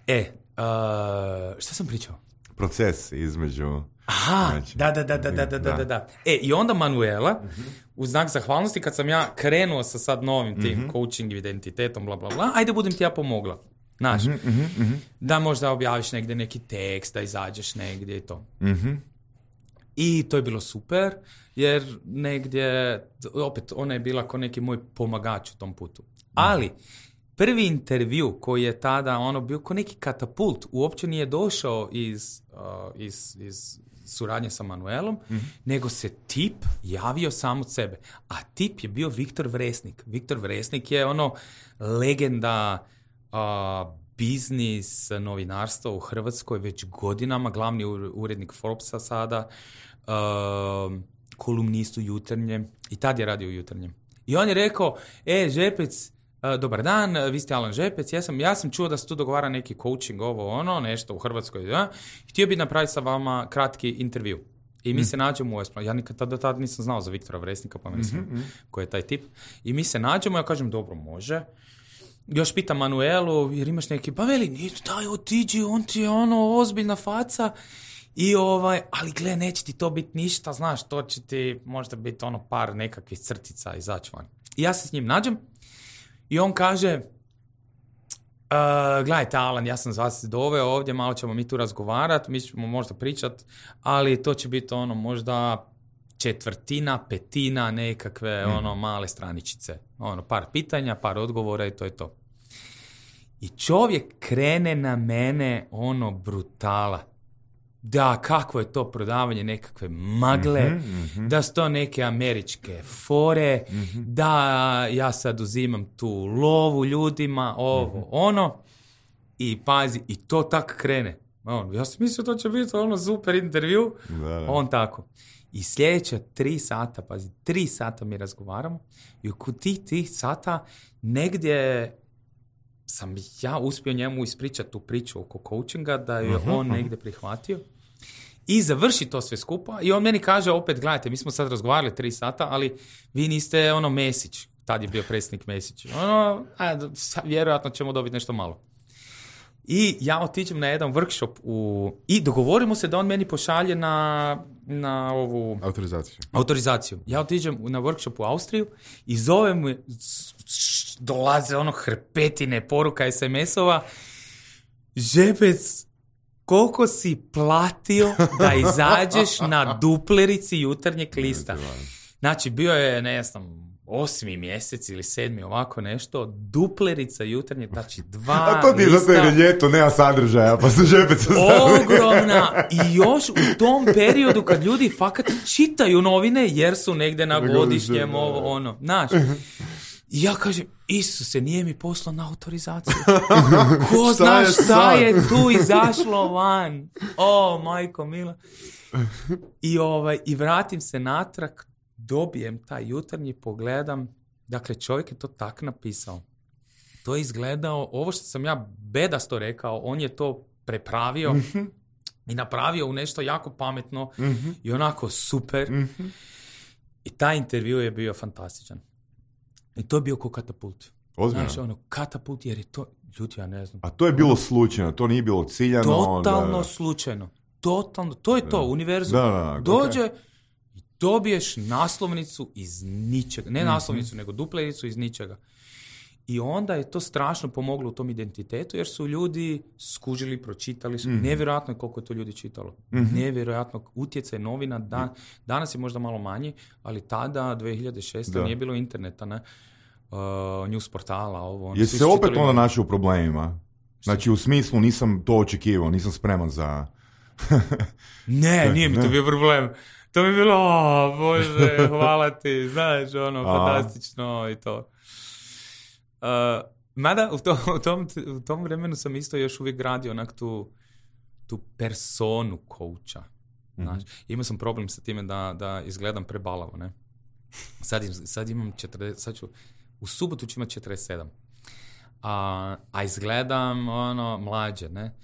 E, uh, šta sam pričao? Proces između... Aha, znači, da, da, da, da, da, da, da, da. E, i onda Manuela, uh-huh. u znak zahvalnosti, kad sam ja krenuo sa sad novim tim uh-huh. coaching identitetom, bla, bla, bla, ajde budem ti ja pomogla. Znaš, uh-huh, uh-huh. da možda objaviš negdje neki tekst, da izađeš negdje i to. Uh-huh. I to je bilo super, jer negdje, opet, ona je bila kao neki moj pomagač u tom putu. Uh-huh. Ali, prvi intervju koji je tada ono bio kao neki katapult, uopće nije došao iz, uh, iz, iz suradnje sa Manuelom, mm-hmm. nego se tip javio sam od sebe. A tip je bio Viktor Vresnik. Viktor Vresnik je ono legenda uh, biznis novinarstva u Hrvatskoj već godinama, glavni urednik Forbesa sada, uh, kolumnist u Jutarnjem, i tad je radio u Jutarnjem. I on je rekao, e, Žepec, dobar dan, vi ste Alan Žepec, ja sam, ja sam čuo da se tu dogovara neki coaching, ovo ono, nešto u Hrvatskoj, da? Htio bi napraviti sa vama kratki intervju. I mi mm. se nađemo u Esplanadi. Ja nikad do tada nisam znao za Viktora Vresnika, pa mislim mm-hmm. ko je taj tip. I mi se nađemo, ja kažem, dobro, može. Još pitam Manuelu, jer imaš neki, pa veli, nije daj, otiđi, on ti je ono ozbiljna faca. I ovaj, ali gle, neće ti to biti ništa, znaš, to će ti možda biti ono par nekakvih crtica izaći van. I ja se s njim nađem i on kaže, uh, gledajte Alan, ja sam vas doveo ovdje, malo ćemo mi tu razgovarati, mi ćemo možda pričati, ali to će biti ono možda četvrtina, petina nekakve mm. ono male straničice. Ono, par pitanja, par odgovora i to je to. I čovjek krene na mene ono brutala. Da, kakvo je to prodavanje nekakve magle, mm-hmm, mm-hmm. da su to neke američke fore, mm-hmm. da ja sad uzimam tu lovu ljudima, ovo, mm-hmm. ono, i pazi, i to tak krene. On, ja sam mislio to će biti ono super intervju, da, da. On tako. I sljedeća tri sata, pazi, tri sata mi razgovaramo i oko tih tih sata negdje sam ja uspio njemu ispričati tu priču oko coachinga, da je uh-huh, on uh-huh. negdje prihvatio i završi to sve skupa i on meni kaže opet, gledajte, mi smo sad razgovarali tri sata, ali vi niste ono Mesić, tad je bio predsjednik Mesić, ono, a, vjerojatno ćemo dobiti nešto malo. I ja otiđem na jedan workshop u... i dogovorimo se da on meni pošalje na, na ovu... Autorizaciju. Autorizaciju. Ja otiđem na workshop u Austriju i zovem mu, dolaze ono hrpetine poruka es em esova. Žepec, koliko si platio da izađeš na duplerici jutarnjeg lista? Znači, bio je, ne znam, osmi mjesec ili sedmi, ovako nešto, duplerica jutarnje, znači dva A to ti je zato jer je ljeto, nema sadržaja, pa se Žepec ostavili. Ogromna! I još u tom periodu kad ljudi fakat čitaju novine jer su negde na godišnjem, ovo, ono, znaš. I ja kažem, Isuse, nije mi poslao na autorizaciju. Ko zna šta je tu izašlo van? O, majko mila. I, ovaj, i vratim se natrag, dobijem taj jutarnji, pogledam, dakle čovjek je to tak napisao. To je izgledao, ovo što sam ja bedasto rekao, on je to prepravio mm-hmm. i napravio u nešto jako pametno mm-hmm. i onako super. Mm-hmm. I taj intervju je bio fantastičan. I to je bio ko katapult. Ozbiljno? Znaš, ono, katapult, jer je to, ljudi, ja ne znam. A to je bilo slučajno, to nije bilo ciljano. Totalno da... slučajno. Totalno, to je to, da. univerzum. Da, da, dođe okay. i dobiješ naslovnicu iz ničega. Ne naslovnicu, mm-hmm. nego duplericu iz ničega. I onda je to strašno pomoglo u tom identitetu, jer su ljudi skužili, pročitali su. Mm-hmm. Nevjerojatno je koliko je to ljudi čitalo. Mm-hmm. Nevjerojatno utjecaj novina. Dan, danas je možda malo manji, ali tada, dvije hiljade šeste. Da. Nije bilo interneta, ne? Uh, news portala, ovo. Jesi se opet onda našao u problemima? Znači, u smislu nisam to očekivao, nisam spreman za... ne, nije mi to bio problem. To mi je bilo, o, Bože, hvala ti, znaš, ono, fantastično i to. Uh, mada u tom, u, tom, u tom vremenu sam isto još uvijek gradio onak tu, tu personu coacha. Znaš. Mm-hmm. Imao sam problem sa time da, da izgledam prebalavo, ne? Sad, im, sad imam četrdeset, sad ću, u subotu ću imati četrdeset sedam. A, a izgledam ono mlađe, ne?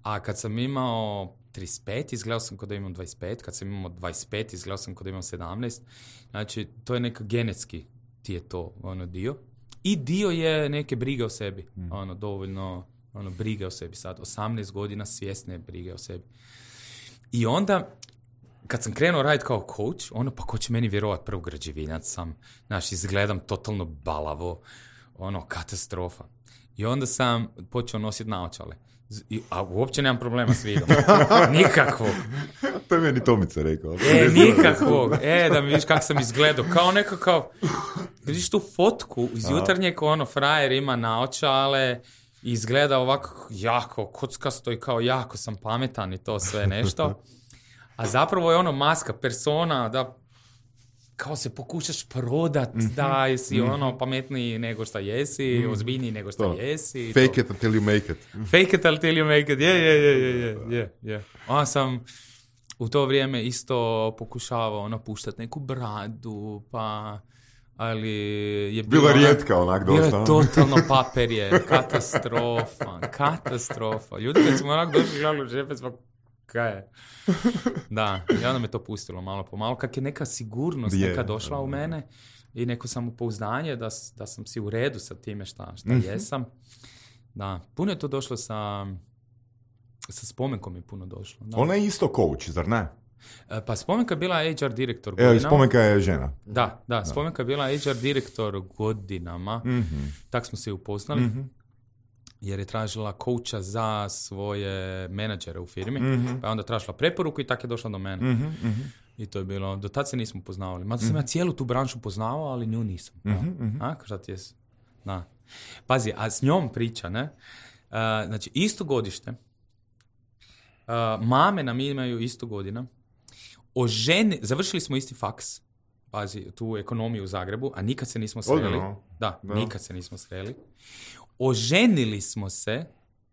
A kad sam imao trideset pet, izgledao sam kao da imam dvadeset pet, kad sam imao dvadeset pet, izgledao sam kao da imam sedamnaest. Znači, to je neka genetski ti je to ono dio. I dio je neke brige o sebi. Mm. Ono, dovoljno ono, brige o sebi. Sad, osamnaest godina svjesne brige o sebi. I onda, kad sam krenuo raditi kao coach, ono, pa ko će meni vjerovat, prvo građevinac sam, znaš, izgledam totalno balavo, ono, katastrofa. I onda sam počeo nositi naočale. A uopće nemam problema s vidom. Nikakvog. To je meni Tomica rekao. E, nikakvog. E, da mi vidiš kako sam izgledao. Kao nekakav, vidiš tu fotku iz jutarnjeg, ono, frajer ima naočale i izgleda ovako jako kockasto i kao jako sam pametan i to sve nešto. A zapravo je ono maska, persona, da kao se pokušaš prodat, mm-hmm. da jesi mm-hmm. ono pametniji nego šta jesi, mm-hmm. ozbiljniji nego šta to. Jesi. Fake to. it until you make it. Fake it until you make it, je, je, je, je, je, je. Onda sam u to vrijeme isto pokušavao ono puštati neku bradu, pa ali je bila rijetka onak dosta. Bilo je totalno paperje, katastrofa, katastrofa. Ljudi kad smo onak došli gledali u džepe, smo kaj je? Da, i onda me to pustilo malo po malo, kak je neka sigurnost je, neka došla u mene i neko samopouzdanje da, da sam si u redu sa time šta, šta mm-hmm. jesam. Da, puno je to došlo sa, sa Spomenkom je puno došlo. Da. Ona je isto coach, zar ne? Pa Spomenka je bila H R direktor godinama. Evo, Spomenka je žena. Da, da, Spomenka je bila H R direktor godinama. Mm-hmm. Tak smo se upoznali. Mm-hmm. Jer je tražila coacha za svoje menadžere u firmi. Mm-hmm. Pa je onda tražila preporuku i tak je došla do mene. Mm-hmm. I to je bilo, do tad se nismo poznavali. Mada sam mm-hmm. ja cijelu tu branšu poznavao, ali nju nisam. Mm-hmm. A, šta ti je? Da. Pazi, a s njom priča, ne? Uh, znači, isto godište. Uh, mame nam imaju isto godina. O ženi, završili smo isti faks, pazi, tu ekonomiju u Zagrebu, a nikad se nismo sreli. Odno. Da, da, nikad se nismo sreli. Oženili smo se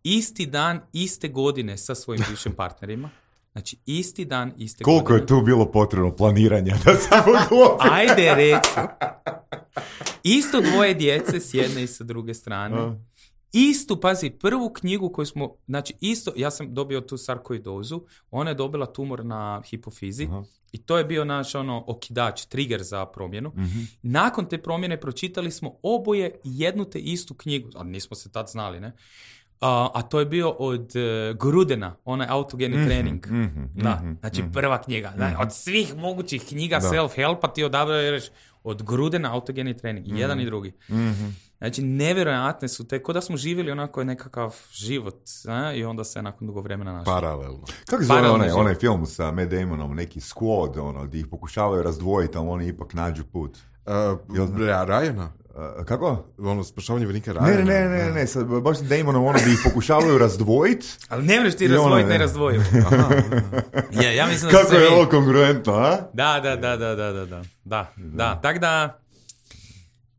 isti dan, iste godine sa svojim bivšim partnerima. Znači, isti dan, iste Koliko godine. Koliko je tu bilo potrebno planiranja da se poglobi? Ajde, reci. Isto dvoje djece s jedne i sa druge strane. Uh. Istu, pazi, prvu knjigu koju smo, znači isto, ja sam dobio tu sarkoidozu, ona je dobila tumor na hipofizi uh-huh. i to je bio naš ono okidač, trigger za promjenu. Uh-huh. Nakon te promjene pročitali smo oboje jednu te istu knjigu, a nismo se tad znali, ne? Uh, a to je bio od uh, Grudena, onaj autogeni mm-hmm, trening. Mm-hmm, da, mm-hmm, znači mm-hmm. prva knjiga. Mm-hmm. Da, od svih mogućih knjiga da. Self-helpa ti odabereš od Grudena autogeni trening. Mm-hmm. Jedan i drugi. Mm-hmm. Znači, nevjerojatne su te, ko da smo živjeli onako nekakav život, a? I onda se nakon dugo vremena našli. Paralelno. Kako se zove onaj, onaj film sa Matt Damonom, neki Squad, ono, gdje ih pokušavaju razdvojiti, ali oni ipak nađu put. Uh, Rajana? Uh, kako? Ono, spašavanje vojnika Rajana. Ne, ne, ne, ne, ne, sad, baš s Damonom, ono, gdje ih pokušavaju razdvojiti. Ali ne možeš ti razdvojiti, ne razdvojiti. Je, ja mislim da kako je ovo kongruentno, a? Da, da, da, da, da, da, da, da, da, tak da...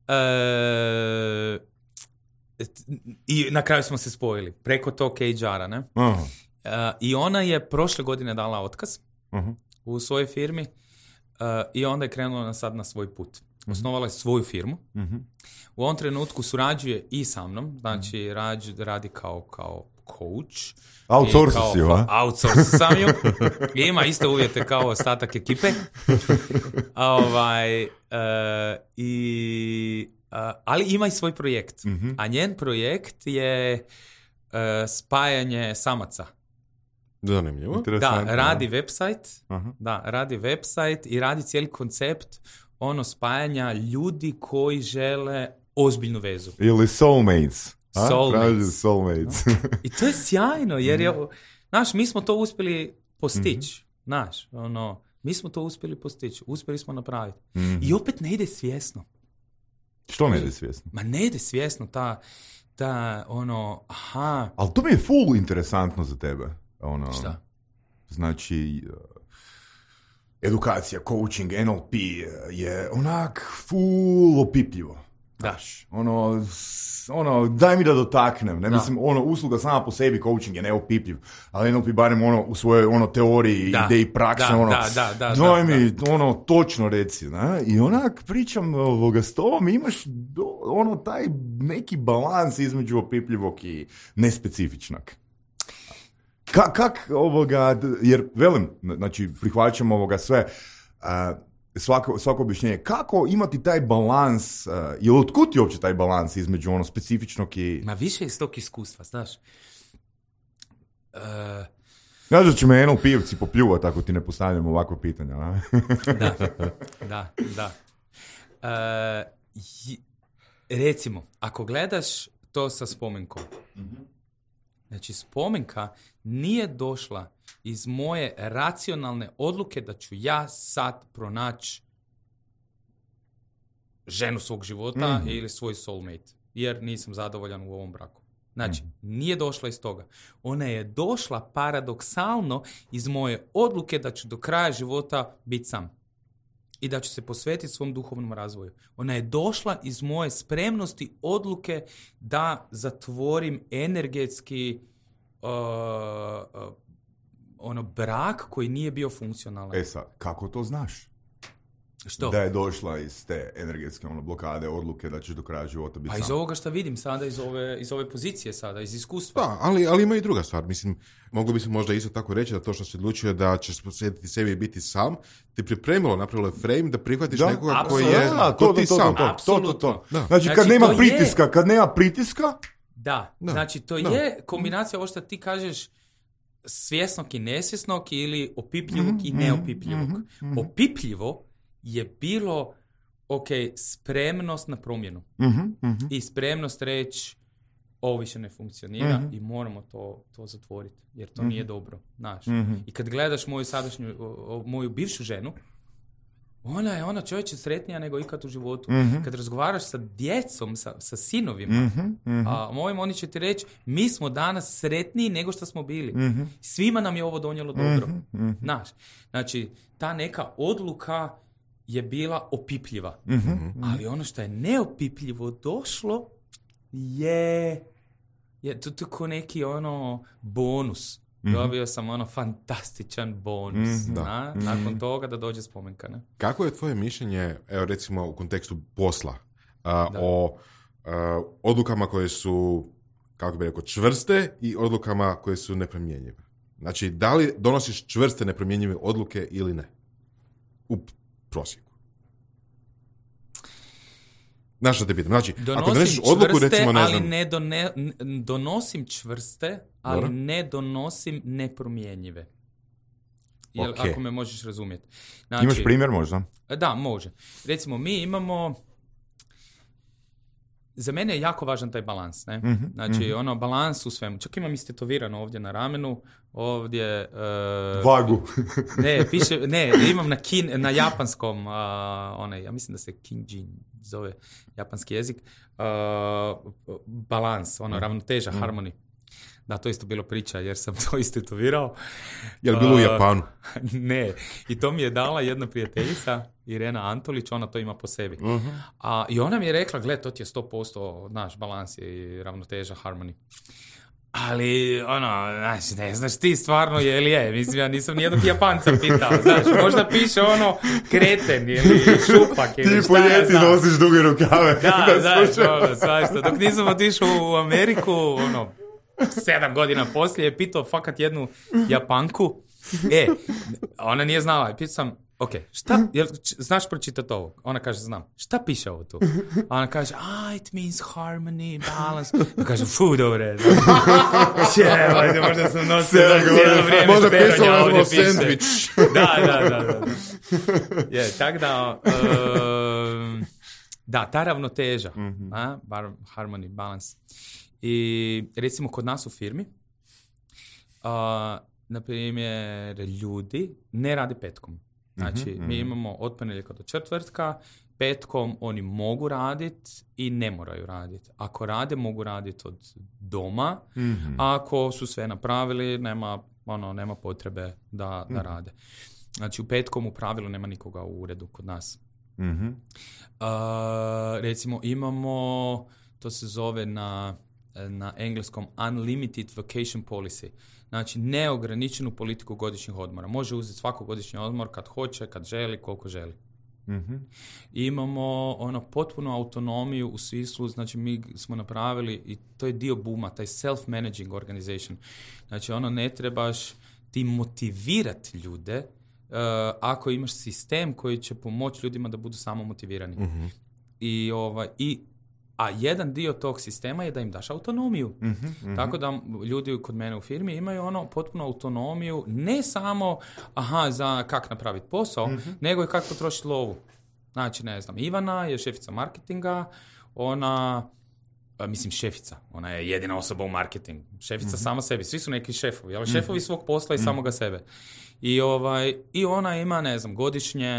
Uh, i na kraju smo se spojili preko tog H R-a, ne? Uh-huh. Uh, i ona je prošle godine dala otkaz uh-huh. u svojoj firmi uh, i onda je krenula sad na svoj put. Uh-huh. Osnovala je svoju firmu. Uh-huh. U ovom trenutku surađuje i sa mnom, znači uh-huh. rađu, radi kao, kao coach. Outsource si ju, a? Outsource sam ju. Ima iste uvjete kao ostatak ekipe. ovaj, uh, i, uh, ali ima i svoj projekt. Mm-hmm. A njen projekt je uh, spajanje samaca. Zanimljivo. Da, radi website. Uh-huh. Da, radi website i radi cijeli koncept ono spajanja ljudi koji žele ozbiljnu vezu. Ili soulmates. Soulmates. soulmates. I to je sjajno, jer je, znaš, mi smo to uspjeli postići. Mm-hmm. Znaš, ono, mi smo to uspjeli postići. Uspjeli smo napraviti. Mm-hmm. I opet ne ide svjesno. Što ne ide svjesno? Ma ne ide svjesno ta, ta ono, aha. Ali to mi je full interesantno za tebe. Ono, šta? Znači, edukacija, coaching, N L P je onak full opipljivo. Daš. Ono, ono, daj mi da dotaknem. Ne da. Mislim, ono, usluga sama po sebi, coaching je neopipljiv, ali N L P barem ono, u svojoj ono, teoriji, da. Ideji, praksi, da, ono, da, da, da, daj da, mi, da. ono, točno reci, ne? I onak pričam ovoga s tobom, imaš do, ono, taj neki balans između opipljivog i nespecifičnog. Ka, kak ovoga, jer velim, znači, prihvaćam ovoga sve, uh, Svako, svako objašnjenje. Kako imati taj balans, uh, ili otkud ti uopće taj balans između ono specifičnog i... Ma više iz tog iskustva, znaš. Uh... Znaš da će me eno pivci popljuvati ako ti ne postavljam ovakve pitanja, a? Da, da, da. Uh, j- recimo, ako gledaš to sa Spomenkom, mm-hmm. znači Spomenka nije došla iz moje racionalne odluke da ću ja sad pronaći ženu svog života mm-hmm. ili svoj soulmate, jer nisam zadovoljan u ovom braku. Znači, mm-hmm. nije došla iz toga. Ona je došla paradoksalno iz moje odluke da ću do kraja života biti sam i da ću se posvetiti svom duhovnom razvoju. Ona je došla iz moje spremnosti odluke da zatvorim energetski uh, uh, ono brak koji nije bio funkcionalan. E sad, kako to znaš? Što? Da je došla iz te energetske ono, blokade, odluke da ćeš do kraja života biti Pa sam. iz ovoga što vidim sada, iz ove, iz ove pozicije sada, iz iskustva. Da, ali, ali ima i druga stvar. Mislim, moglo bi se možda isto tako reći da to što si odlučio da ćeš posvetiti sebi i biti sam, ti pripremilo, napravilo je frame da prihvatiš Da, nekoga koji apsolutno. je Da, ko to, ti to, to, sam. to, to, to, to, Apsolutno. to. Da. Znači, Znači, kad nema to pritiska, je- kad nema pritiska, Da, Da. znači to Da. je kombinacija ovo što ti kažeš svjesnog i nesvjesnog ili opipljivog i neopipljivog. Opipljivo je bilo, ok, spremnost na promjenu. I spremnost reći ovo više ne funkcionira i moramo to, to zatvoriti, jer to nije dobro, znaš. I kad gledaš moju sadašnju, o- o- moju bivšu ženu, ona je ona čovječe sretnija nego ikad u životu. Kad razgovaraš sa djecom, sa, sa sinovima, a mojim, oni će ti reći, mi smo danas sretniji nego što smo bili. Svima nam je ovo donijelo dobro. Znaš, znači, ta neka odluka je bila opipljiva. Ali ono što je neopipljivo došlo je, je to, to ko neki ono bonus. Dobio sam ono fantastičan bonus. Na, nakon toga da dođe spomenka. Ne? Kako je tvoje mišljenje, evo recimo u kontekstu posla, a, o a, odlukama koje su, kako bi rekao, čvrste i odlukama koje su nepromjenjive? Znači, da li donosiš čvrste nepromjenjive odluke ili ne? U prosjeku. Znaš što te pitam? Znači, ako Donosim doneseš odluku, čvrste, recimo, ne ali znam... ne done, n- donosim čvrste, ali Dobro. ne donosim nepromjenjive. Jel, Ok. ako me možeš razumjeti. Znači, imaš primjer možda? Da, može. Recimo, mi imamo... Za mene je jako važan taj balans, ne? Mhm, Znači, ono, balans u svemu. Čak imam istetovirano ovdje na ramenu, ovdje... e, Vagu. Ne, piše, ne, imam na, kin, na japanskom, a, onaj, ja mislim da se Kinjin zove japanski jezik, a, balans, ono, ravnoteža, harmoni. Da, to isto bilo priča, jer sam to istetovirao. Je li bilo u A, Japanu? Ne, i to mi je dala jedna prijateljica, Irena Antolić, ona to ima po sebi. A, I ona mi je rekla, gle, to ti je sto posto naš balans i ravnoteža, harmoni. Ali, ono, znaš, ne znaš ti stvarno je li je. Mislim, ja nisam nijednog Japanca pitao, znaš, možda piše ono kreten ili šupak ili Ti šta po ja ljeti znam. nosiš duge rukave. Da, znaš, slušaj. ono, svašta. Dok nisam otišao u Ameriku, ono, sedam godina poslije je pitao fakat jednu Japanku. E, ona nije znala. Pitao sam, ok, šta, jel, č- znaš pročitati ovo? Ona kaže, znam. Šta piše ovo tu? A ona kaže, ah, it means harmony, balance. Ja kažem, fu, dobre. Čevajte, možda sam nosio da cijelo vrijeme Možda speronja pisalo ovdje smo piše. sandvič. Da, da, da. da. Je, tak da, um, da, ta ravnoteža, a, bar, harmony, balance. I recimo kod nas u firmi, a, na primjer, ljudi ne rade petkom. Znači, mi imamo od ponedjeljka do četvrtka, petkom oni mogu raditi i ne moraju raditi. Ako rade, mogu raditi od doma. Ako su sve napravili, nema, ono, nema potrebe da, da rade. Znači, u petkom u pravilu nema nikoga u uredu kod nas. Mhm. Uh, recimo, imamo, to se zove na, na engleskom unlimited vacation policy. Znači, neograničenu politiku godišnjih odmora. Može uzeti svako godišnji odmor kad hoće, kad želi, koliko želi. Mhm. Imamo ono potpunu autonomiju u smislu, znači mi smo napravili i to je dio booma, taj self-managing organization. Znači ono ne trebaš ti motivirati ljude uh, ako imaš sistem koji će pomoći ljudima da budu samo motivirani. Mhm. I, ovaj, i a jedan dio tog sistema je da im daš autonomiju. Mhm. Tako da ljudi kod mene u firmi imaju ono potpunu autonomiju, ne samo aha, za kak napraviti posao, nego i kako potrošiti lovu. Znači, ne znam, Ivana je šefica marketinga, ona, a, mislim šefica, ona je jedina osoba u marketingu. Šefica sama sebi, svi su neki šefovi, ali šefovi svog posla i samoga sebe. I, ovaj, I ona ima, ne znam, godišnje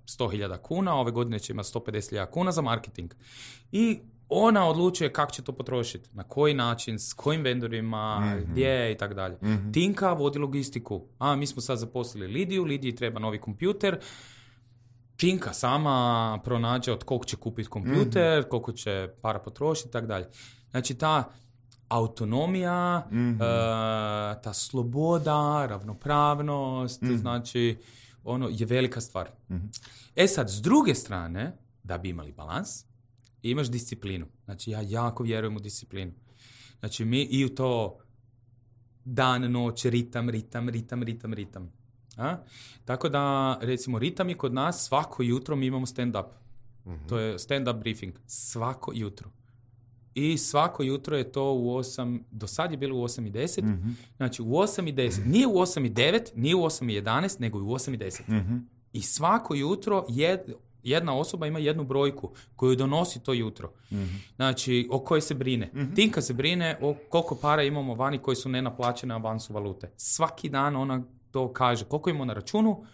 sto hiljada kuna, ove godine će imati sto pedeset hiljada kuna za marketing. I ona odlučuje kako će to potrošiti, na koji način, s kojim vendorima, mm-hmm. gdje i tako dalje. Mm-hmm. Tinka vodi logistiku. A, mi smo sad zaposlili Lidiju, Lidiji treba novi kompjuter. Tinka sama pronađe od koliko će kupiti kompjuter, mm-hmm. koliko će para potrošiti i tako dalje. Znači, ta autonomija, mm-hmm. uh, ta sloboda, ravnopravnost, mm-hmm. znači, ono, je velika stvar. Mm-hmm. E sad, s druge strane, da bi imali balans, imaš disciplinu. Znači, ja jako vjerujem u disciplinu. Znači, mi i u to dan, noć, ritam, ritam, ritam, ritam, ritam. A? Tako da, recimo, ritam je kod nas, svako jutro mi imamo stand-up. Mm-hmm. To je stand-up briefing. Svako jutro. I svako jutro je to u osam, do sad je bilo u osam i deset, mm-hmm. znači u osam i deset, nije u osam i devet, nije u osam i jedanaest, nego u osam i deset. Mm-hmm. I svako jutro jed, jedna osoba ima jednu brojku koju donosi to jutro. Mm-hmm. Znači, o kojoj se brine. Mm-hmm. Tinka se brine o koliko para imamo vani koji su nenaplaćene avansu valute. Svaki dan ona to kaže. Koliko imamo na računu,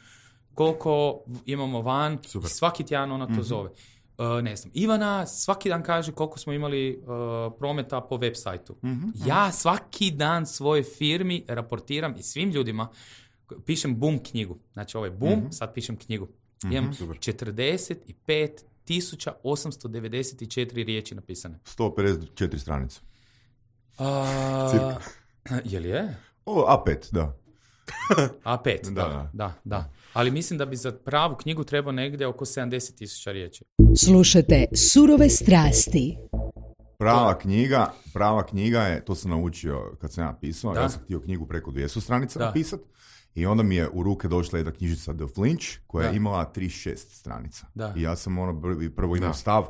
koliko imamo van. Super. I svaki tjedan ona to mm-hmm. zove. Uh, ne znam, Ivana svaki dan kaže koliko smo imali uh, prometa po web sajtu. Mm-hmm. Ja svaki dan svoje firmi raportiram i svim ljudima pišem boom knjigu. Znači ovo je boom, mm-hmm. sad pišem knjigu. Mm-hmm. Imam četrdeset pet tisuća osamsto devedeset četiri riječi napisane. sto pedeset četiri stranice. Uh, je li je? O, A pet, da. A pet, da, da, da, da. Ali mislim da bi za pravu knjigu trebao negdje oko sedamdeset tisuća riječi. Slušajte Surove strasti. Prava knjiga, prava knjiga je, to sam naučio kad sam ja pisao, da. Ja sam htio knjigu preko dvjesto stranica napisat i onda mi je u ruke došla jedna knjižica The Flinch koja da. je imala trideset šest stranica. Da. I ja sam ono prvo imao stav,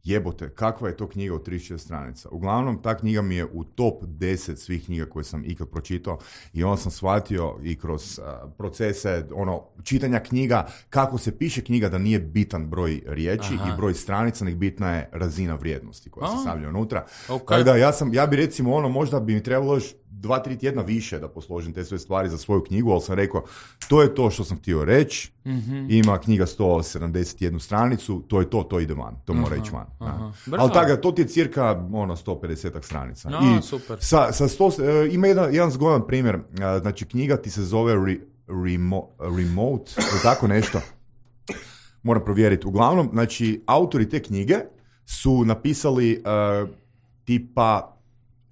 jebote, kakva je to knjiga od trideset šest stranica. Uglavnom, ta knjiga mi je u top deset svih knjiga koje sam ikad pročitao i onda sam shvatio i kroz uh, procese ono, čitanja knjiga, kako se piše knjiga da nije bitan broj riječi Aha. i broj stranica, nek bitna je razina vrijednosti koja se stavlja unutra. Okay. Tako da ja, sam, ja bi recimo ono, možda bi mi trebalo još dva, tri tjedna više da posložim te sve stvari za svoju knjigu, ali sam rekao, to je to što sam htio reći, mm-hmm. ima knjiga sto sedamdeset jednu stranicu, to je to, to ide van, to mora ići van. Ali tako, to ti je cirka ono, sto pedeset stranica. No, I super. Sa, sa sto, uh, ima jedan, jedan zgodan primjer, uh, znači knjiga ti se zove re, remo, Remote, ili tako nešto, moram provjeriti. Uglavnom, znači, autori te knjige su napisali uh, tipa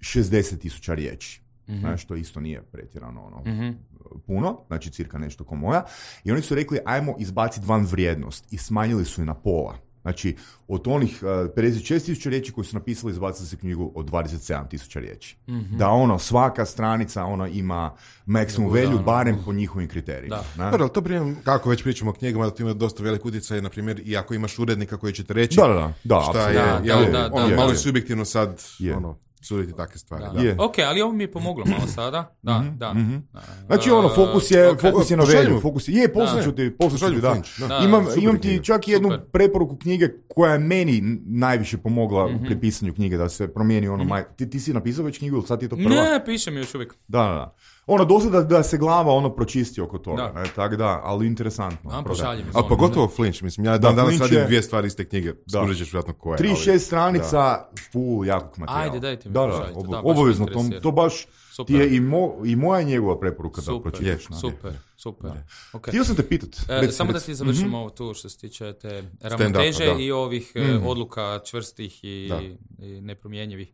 šezdeset tisuća riječi. Mm-hmm. Znači, što isto nije pretjerano ono, mm-hmm. puno, znači cirka nešto ko moja. I oni su rekli, ajmo izbaciti van vrijednost i smanjili su je na pola. Znači, od onih uh, pedeset šest tisuća riječi koji su napisali, izbacili se knjigu od dvadeset sedam tisuća riječi. Mm-hmm. Da ono, svaka stranica ona ima maximum value, barem po njihovim kriterijima. Da. Dobro, to primjer, kako već pričamo o knjigama, da to ima dosta velik utjecaj, na primjer, i ako imaš urednika koji će te reći da, da, da, šta je, da, ja, da, da, ono, da, malo da. je subjektivno sad, je. ono, suditi takve stvari. Da. Da. Ok, ali ovo mi je pomoglo malo sada. Da, mm-hmm, da. Mm-hmm. Znači ono, fokus je, okay. fokus je na velju, fokus je, je, poslat ću ti, poslat ću ti, da. da. Imam, imam ti čak jednu super. preporuku knjige koja je meni najviše pomogla mm-hmm. pri pisanju knjige, da se promijeni ono, mm-hmm. maj... ti, ti si napisao već knjigu ili sad ti je to prva? Ne, pišem još uvijek. Da, da, da. Ono, dosta da, da se glava ono pročisti oko toga, da. tako da, ali interesantno. A, pošaljem. Ali pogotovo Flinch, mislim, ja dan danas radim dvije stvari iz te knjige, skužit ćeš vjerojatno koje. trideset šest stranica, da. full jakog materijala. Ajde, dajte mi da, da, ob, da, obavezno, to, to baš super. Ti je i, mo, i moja njegova preporuka super, da pročitaš. Super, super. Okay. Htio sam te pitat. E, rec, samo rec. da ti završimo mm-hmm. ovo tu što se tiče te ravnoteže i ovih mm. odluka čvrstih i, i nepromjenjivih.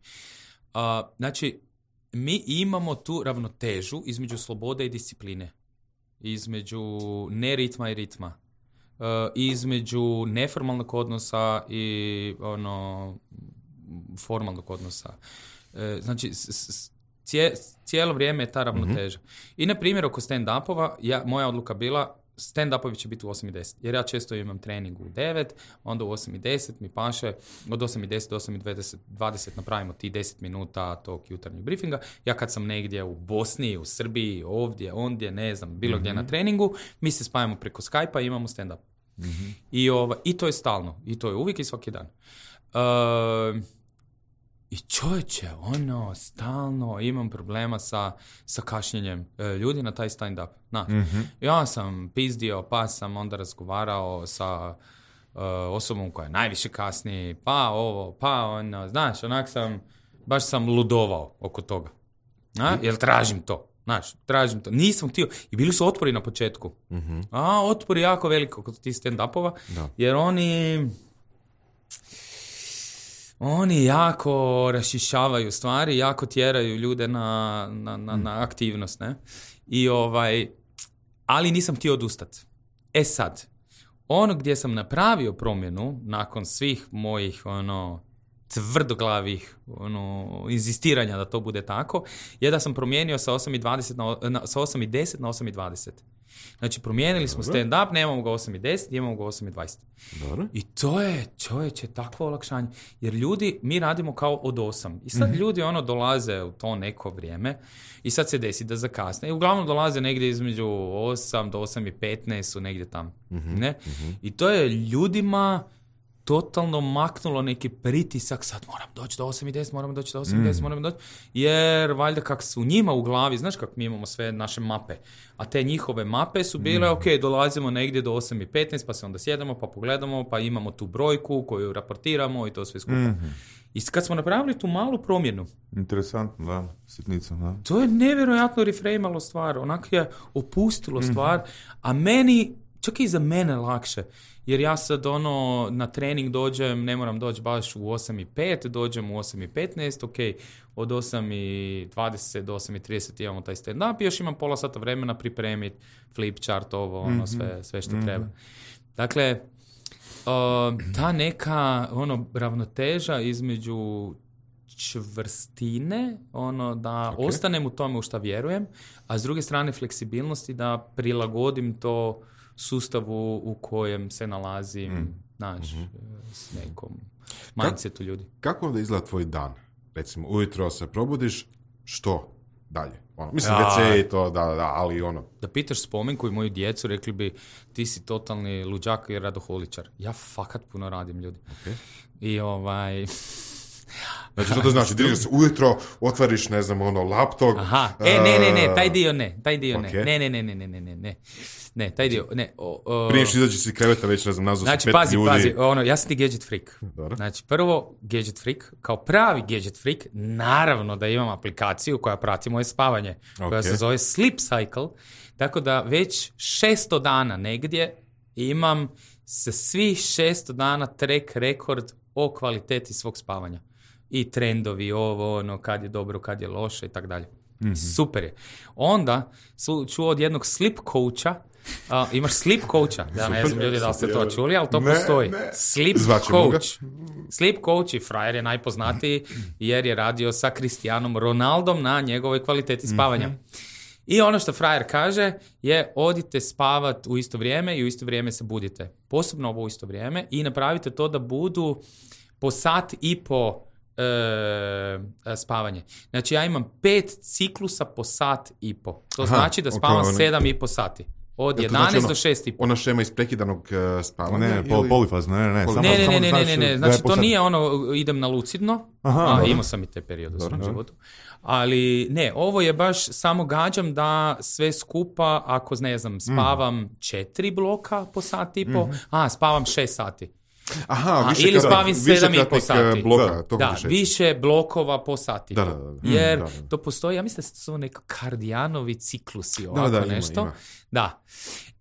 Uh, znači, mi imamo tu ravnotežu između slobode i discipline, između neritma i ritma, uh, između neformalnog odnosa i ono formalnog odnosa. Uh, znači, s, s, cije, cijelo vrijeme je ta ravnoteža. Mm-hmm. I na primjer, oko stand-upova, ja, moja odluka bila, stand-upovi će biti u osam i deset, jer ja često imam trening u devet, onda u osam i deset mi paše, od osam i deset do osam i dvadeset napravimo ti deset minuta tog jutarnjeg briefinga. Ja kad sam negdje u Bosni, u Srbiji, ovdje, ondje, ne znam, bilo mm-hmm. gdje na treningu, mi se spajamo preko Skype-a i imamo stand-up. Mm-hmm. I, ova, I to je stalno, i to je uvijek i svaki dan. Uh, I čovječe, ono, stalno imam problema sa, sa kašnjenjem e, ljudi na taj stand-up. Znaš, mm-hmm. ja sam pizdio, pa sam onda razgovarao sa e, osobom koja najviše kasni, pa ovo, pa ono, znaš, onak sam, baš sam ludovao oko toga. A? Jer tražim to, znaš, tražim to. Nisam htio, i bili su otpori na početku. Mm-hmm. A, otpori jako veliko kod tih stand-upova, da. Jer oni... Oni jako rašišavaju stvari, jako tjeraju ljude na, na, na, na aktivnost, ne? I ovaj, ali nisam htio odustati. E sad, ono gdje sam napravio promjenu nakon svih mojih ono tvrdoglavih ono, inzistiranja da to bude tako, je da sam promijenio sa osam i dvadeset na, na, sa osam i deset na osam i dvadeset. Znači, promijenili smo stand-up, nemamo ga osam i deset, imamo ga osam i dvadeset. Dobro. I to je, čovječe, takvo olakšanje. Jer ljudi, mi radimo kao od osam. I sad mm-hmm. ljudi ono dolaze u to neko vrijeme i sad se desi da zakasne. I uglavnom dolaze negdje između osam do osam i petnaest su negdje tamo. Mm-hmm. Ne? Mm-hmm. I to je ljudima totalno maknulo neki pritisak, sad moram doći do osam i deset, moram doći do osam i deset, mm. moram doći, jer valjda kak su njima u glavi, znaš kako mi imamo sve naše mape, a te njihove mape su bile, mm. ok, dolazimo negdje do osam i petnaest, pa se onda sjedamo, pa pogledamo, pa imamo tu brojku koju raportiramo i to sve skupa. Mm-hmm. I kad smo napravili tu malu promjenu, interesantno, da, sitnica, da. To je nevjerojatno refrejmalo stvar, onak je opustilo mm-hmm. stvar, a meni, čak i za mene lakše, jer ja sad ono na trening dođem, ne moram doći baš u osam i pet, dođem u osam i petnaest, ok, od osam i dvadeset do osam i trideset imamo taj stand-up i još imam pola sata vremena pripremiti flip chart, ovo, ono, sve, sve što mm-hmm. treba. Dakle, uh, ta neka ono ravnoteža između čvrstine, ono da okay. ostanem u tome u šta vjerujem, a s druge strane fleksibilnosti da prilagodim to sustavu u kojem se nalazim, mm. znaš, mm-hmm. s nekom mindsetu ljudi. Kako onda izgleda tvoj dan? Recimo, ujutro se probudiš, što dalje? Ono, mislim, ja. ve ce i to, da, da, ali ono... Da pitaš Spomenku i moju djecu, rekli bi, ti si totalni luđak i radoholičar. Ja fakat puno radim, ljudi. Okay. I ovaj... Znači, što to znači? Diriš se ujutro, otvoriš, ne znam, ono, laptop... Aha, e, ne, ne, ne, taj dio ne, taj dio okay. ne, ne, ne, ne, ne, ne, ne, ne, ne, taj dio, ne. O, o... Prije što izađeš iz kreveta, već, ne znam, nazvao znači, si pet pazi, ljudi... Znači, pazi, ono, ja sam ti gadget freak. Dobro. Znači, prvo, gadget freak, kao pravi gadget freak, naravno da imam aplikaciju koja prati moje spavanje, koja okay. se zove Sleep Cycle, tako da već šesto dana negdje imam se svih šesto dana track rekord o kvaliteti svog spavanja. I trendovi, ovo, ono, kad je dobro, kad je loše i tako dalje. Mm-hmm. Super je. Onda su čuo od jednog sleep coacha, uh, imaš sleep coacha, ja ne znam ljudi da li ste to čuli, ali to ne, postoji. Ne. Sleep Zvačemo coach. Ga. Sleep coach i frajer je najpoznatiji jer je radio sa Cristianom Ronaldom na njegovoj kvaliteti spavanja. Mm-hmm. I ono što frajer kaže je odite spavat u isto vrijeme i u isto vrijeme se budite. Posebno ovo u isto vrijeme i napravite to da budu po sat i po E, spavanje. Znači ja imam pet ciklusa po sat i po. To Aha, znači da spavam okay, sedam i po sati. Od ja, jedanaest znači do šest i po. Ona šema iz prekidanog uh, spavanja? Ne, pol, polifazno, ne, ne, ne. Samo, ne, ne, samo ne, znači, ne, ne, ne. Znači to nije ono, idem na lucidno. Aha, A, imao sam i te periode u svom životu. Ali ne, ovo je baš samo gađam da sve skupa, ako ne znam, spavam mm. četiri bloka po sat i po, mm-hmm. a spavam šest sati. Aha, više ili spavim sedam i po sati. Bloka, da, da više blokova po sati. Da, da, da. Jer mm, da, da. to postoji, ja mislim da su neko kardijanovi ciklusi, ovako da, da, nešto. Ima, ima. Da.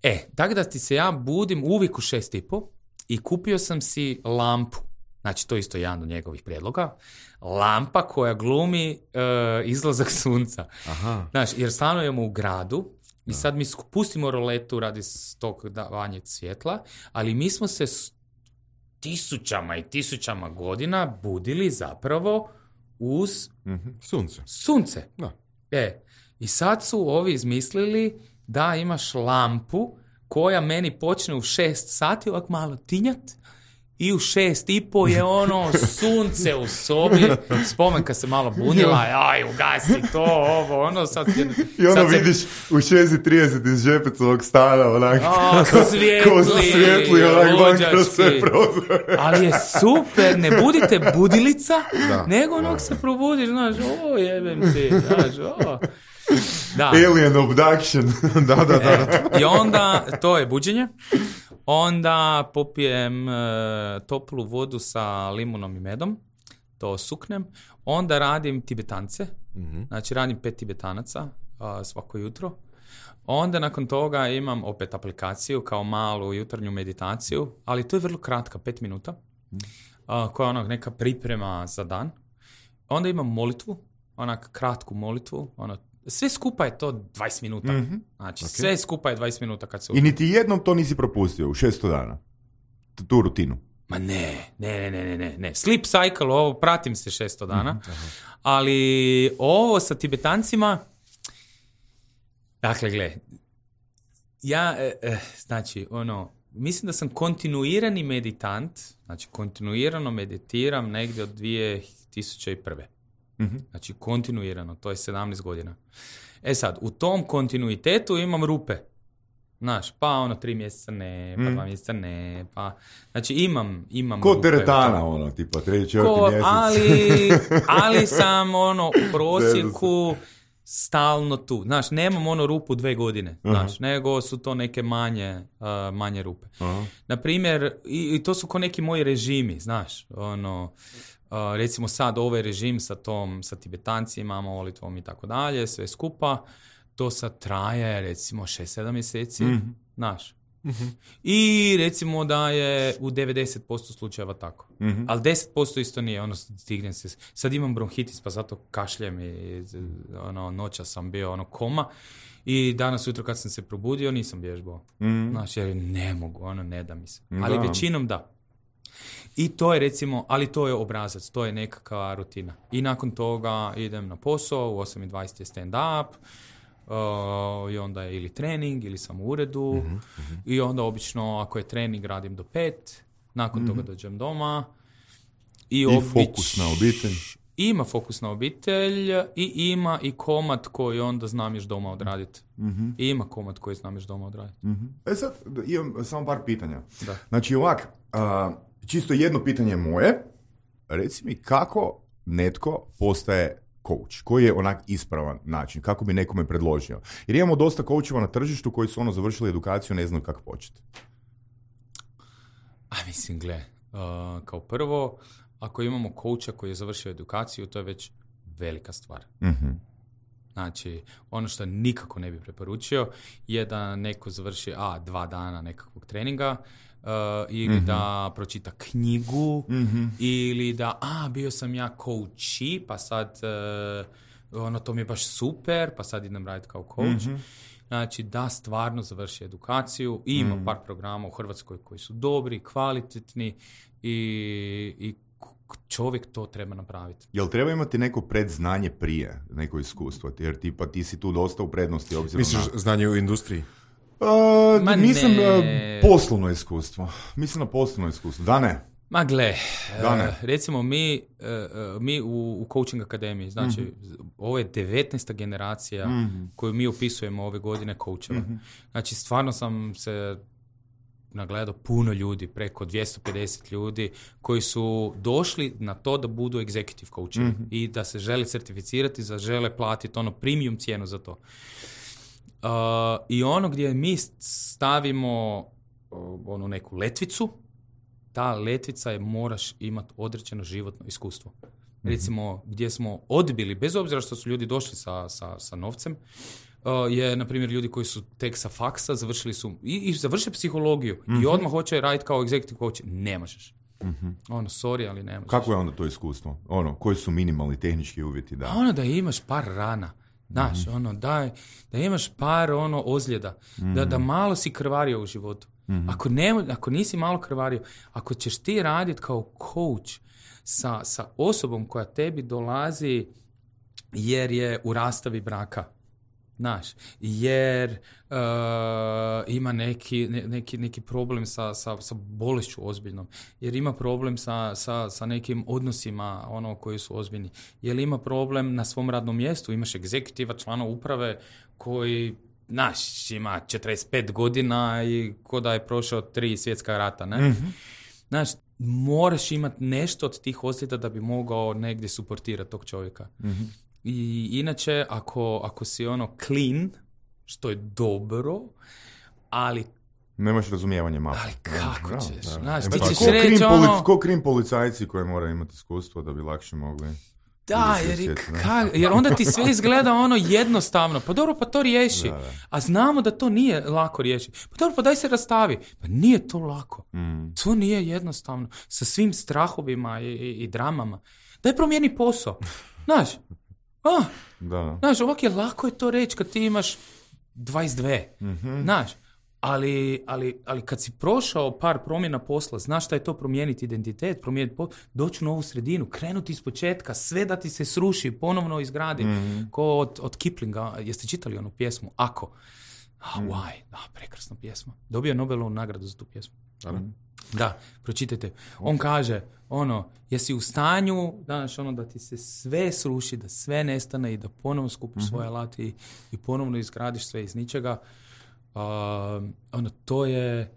E, tako da ti se ja budim uvijek u šest i po i kupio sam si lampu. Znači, to je isto jedan od njegovih prijedloga. Lampa koja glumi uh, izlazak sunca. Aha. Znaš, jer stanujemo u gradu i sad mi pustimo roletu radi tog davanja svjetla, ali mi smo se tisućama i tisućama godina budili zapravo uz mm-hmm. sunce. Sunce. Da. E, i sad su ovi izmislili da imaš lampu koja meni počne u šest sati ovak malo tinjat i u šest i po je ono sunce u sobi. Spomenka se malo bunila, aj, ugasi to, ovo, ono, sad... I ono sad vidiš se... u šest i trideset iz Žepecovog stana, onak... O, svijetli, ko su svijetli, onak, van kroz sve prozore. Ali je super, ne budite budilica, da, nego onog da, se probudiš, znaš, o, jebem ti, znaš, o... Da. Alien abduction. da, da, da. E, I onda, to je buđenje. Onda popijem e, toplu vodu sa limunom i medom. To suknem. Onda radim tibetance. Mm-hmm. Znači radim pet tibetanaca a, svako jutro. Onda nakon toga imam opet aplikaciju kao malu jutarnju meditaciju. Ali to je vrlo kratka, pet minuta. A, koja je onak neka priprema za dan. Onda imam molitvu. Onak kratku molitvu. Ono sve skupa je to dvadeset minuta. Mm-hmm. Znači, okay. sve skupa je dvadeset minuta kad se... I niti jednom to nisi propustio u šesto dana? Tu rutinu? Ma ne, ne, ne, ne, ne, ne. Sleep cycle, ovo pratim se šesto dana. Mm-hmm. Ali ovo sa Tibetancima... Dakle, gle, ja, eh, eh, znači, ono, mislim da sam kontinuirani meditant, znači kontinuirano meditiram negdje od dvije tisuće prve. Mm-hmm. Znači, kontinuirano, to je sedamnaest godina. E sad, u tom kontinuitetu imam rupe. Znaš, pa ono tri mjeseca ne, pa mm. dva mjeseca ne, pa... Znači, imam, imam Ko rupe. teretana, ono, tipa, treći, četvrti mjesec. Ali, ali sam, ono, u prosjeku stalno tu. Znaš, nemam ono rupu dve godine, uh-huh. znaš, nego su to neke manje, uh, manje rupe. Uh-huh. Naprimjer, i, i to su ko neki moji režimi, znaš, ono... Uh, recimo sad ovaj režim sa tom, sa Tibetancima, molitvom i tako dalje, sve skupa, to sad traje recimo šest sedam mjeseci, mm-hmm. znaš. Mm-hmm. I recimo da je u devedeset posto slučajeva tako. Mm-hmm. Ali deset posto isto nije, ono, stignem se, sad imam bronhitis pa zato kašljem i ono, noća sam bio ono koma i danas ujutro kad sam se probudio nisam vježbao. Mm-hmm. Znaš, jer ne mogu, ono, ne da mi se. Da. Ali većinom da. I to je recimo, ali to je obrazac, to je nekakva rutina. I nakon toga idem na posao, u osam i dvadeset je stand-up, uh, i onda je ili trening, ili sam u uredu, mm-hmm, mm-hmm. i onda obično ako je trening radim do pet, nakon mm-hmm. toga dođem doma. I, I obič... fokus na obitelj. Ima fokus na obitelj i ima i komad koji onda znam još doma odraditi. Mm-hmm. I ima komad koji znam još doma odraditi. Mm-hmm. E sad, imam samo par pitanja. Da. Znači ovak, uh, čisto jedno pitanje moje, reci mi kako netko postaje coach, koji je onak ispravan način, kako bi nekome predložio. Jer imamo dosta coacheva na tržištu koji su ono završili edukaciju, ne znaju kako početi. A mislim, gle, uh, kao prvo, ako imamo coacha koji je završio edukaciju, to je već velika stvar. Mm-hmm. Znači, ono što nikako ne bi preporučio je da neko završi a, dva dana nekakvog treninga, Uh, ili mm-hmm. da pročita knjigu, mm-hmm. ili da, a, bio sam ja coachi, pa sad, uh, ono, to mi je baš super, pa sad idem raditi kao coach. Mm-hmm. Znači, da stvarno završi edukaciju i ima mm-hmm. par programa u Hrvatskoj koji su dobri, kvalitetni i, i čovjek to treba napraviti. Jel treba imati neko predznanje prije, neko iskustvo? Jer tipa ti si tu dosta u prednosti obzirom Misliš na... znanje u industriji? Uh, mislim uh, poslovno iskustvo. Mislim na poslovno iskustvo. Da ne? Ma gle, da ne. Uh, recimo mi, uh, mi u, u coaching akademiji, znači mm-hmm. ovo je devetnaesta generacija mm-hmm. koju mi opisujemo ove godine coacheva. Mm-hmm. Znači stvarno sam se nagledao puno ljudi, preko dvjesto pedeset ljudi koji su došli na to da budu executive coachevi mm-hmm. i da se žele certificirati, da žele platiti ono premium cijenu za to. Uh, I ono gdje mi stavimo uh, onu neku letvicu, ta letvica je moraš imati određeno životno iskustvo. Mm-hmm. Recimo, gdje smo odbili, bez obzira što su ljudi došli sa, sa, sa novcem, uh, je, na primjer, ljudi koji su tek sa faksa, završili su i, i završe psihologiju mm-hmm. i odmah hoće raditi kao executive coach. Ne možeš. Mm-hmm. Ono, sorry, ali ne možeš. Kako je onda to iskustvo? Ono, koji su minimalni tehnički uvjeti? Da? A ono da imaš par rana. Znaš, mm-hmm. ono, da, da imaš par ono ozljeda, mm-hmm. da, da malo si krvario u životu. Mm-hmm. Ako, ne, ako nisi malo krvario, ako ćeš ti raditi kao coach sa, sa osobom koja tebi dolazi jer je u rastavi braka, znaš, jer uh, ima neki, ne, neki, neki problem sa, sa, sa bolešću ozbiljnom, jer ima problem sa, sa, sa nekim odnosima ono koji su ozbiljni, jer ima problem na svom radnom mjestu, imaš egzekutiva, člana uprave koji, znaš, ima četrdeset pet godina i ko da je prošao tri svjetska rata, ne? Mm-hmm. Znaš, moraš imati nešto od tih ozljeda da bi mogao negdje suportirati tog čovjeka. Mm-hmm. I inače, ako, ako si ono clean, što je dobro, ali... Nemaš razumijevanje malo. Ali kako da, ćeš? Da, da. Znaš, E, ti pa, ćeš ko reći krim ono... Polic, ko krim policajci koji moraju imati iskustvo da bi lakše mogli... Da, jer, ka, jer onda ti sve izgleda ono jednostavno. Pa dobro, pa to riješi. Da, da. A znamo da to nije lako riješiti. Pa dobro, pa daj se rastavi. Pa nije to lako. Mm. To nije jednostavno. Sa svim strahovima i, i, i dramama. Daj promijeni posao. Znaš, Ah, Da. znaš, ovak je lako je to reći kad ti imaš dvadeset dvije. Mhm. Znaš, ali, ali, ali kad si prošao par promjena posla, znaš šta je to promijeniti identitet, promijeniti po... doći u novu sredinu, krenuti iz početka, sve da ti se sruši, ponovno izgradi. Mhm. Ko od, od Kiplinga, jeste čitali onu pjesmu? Ako. Ah, why? Da, prekrasna pjesma. Dobio je Nobelovu nagradu za tu pjesmu. Ali? Da, pročitajte. On kaže, ono, jesi u stanju, danas ono, da ti se sve sruši, da sve nestane i da ponovno skupiš svoje alati i, i ponovno izgradiš sve iz ničega. Uh, ono, to je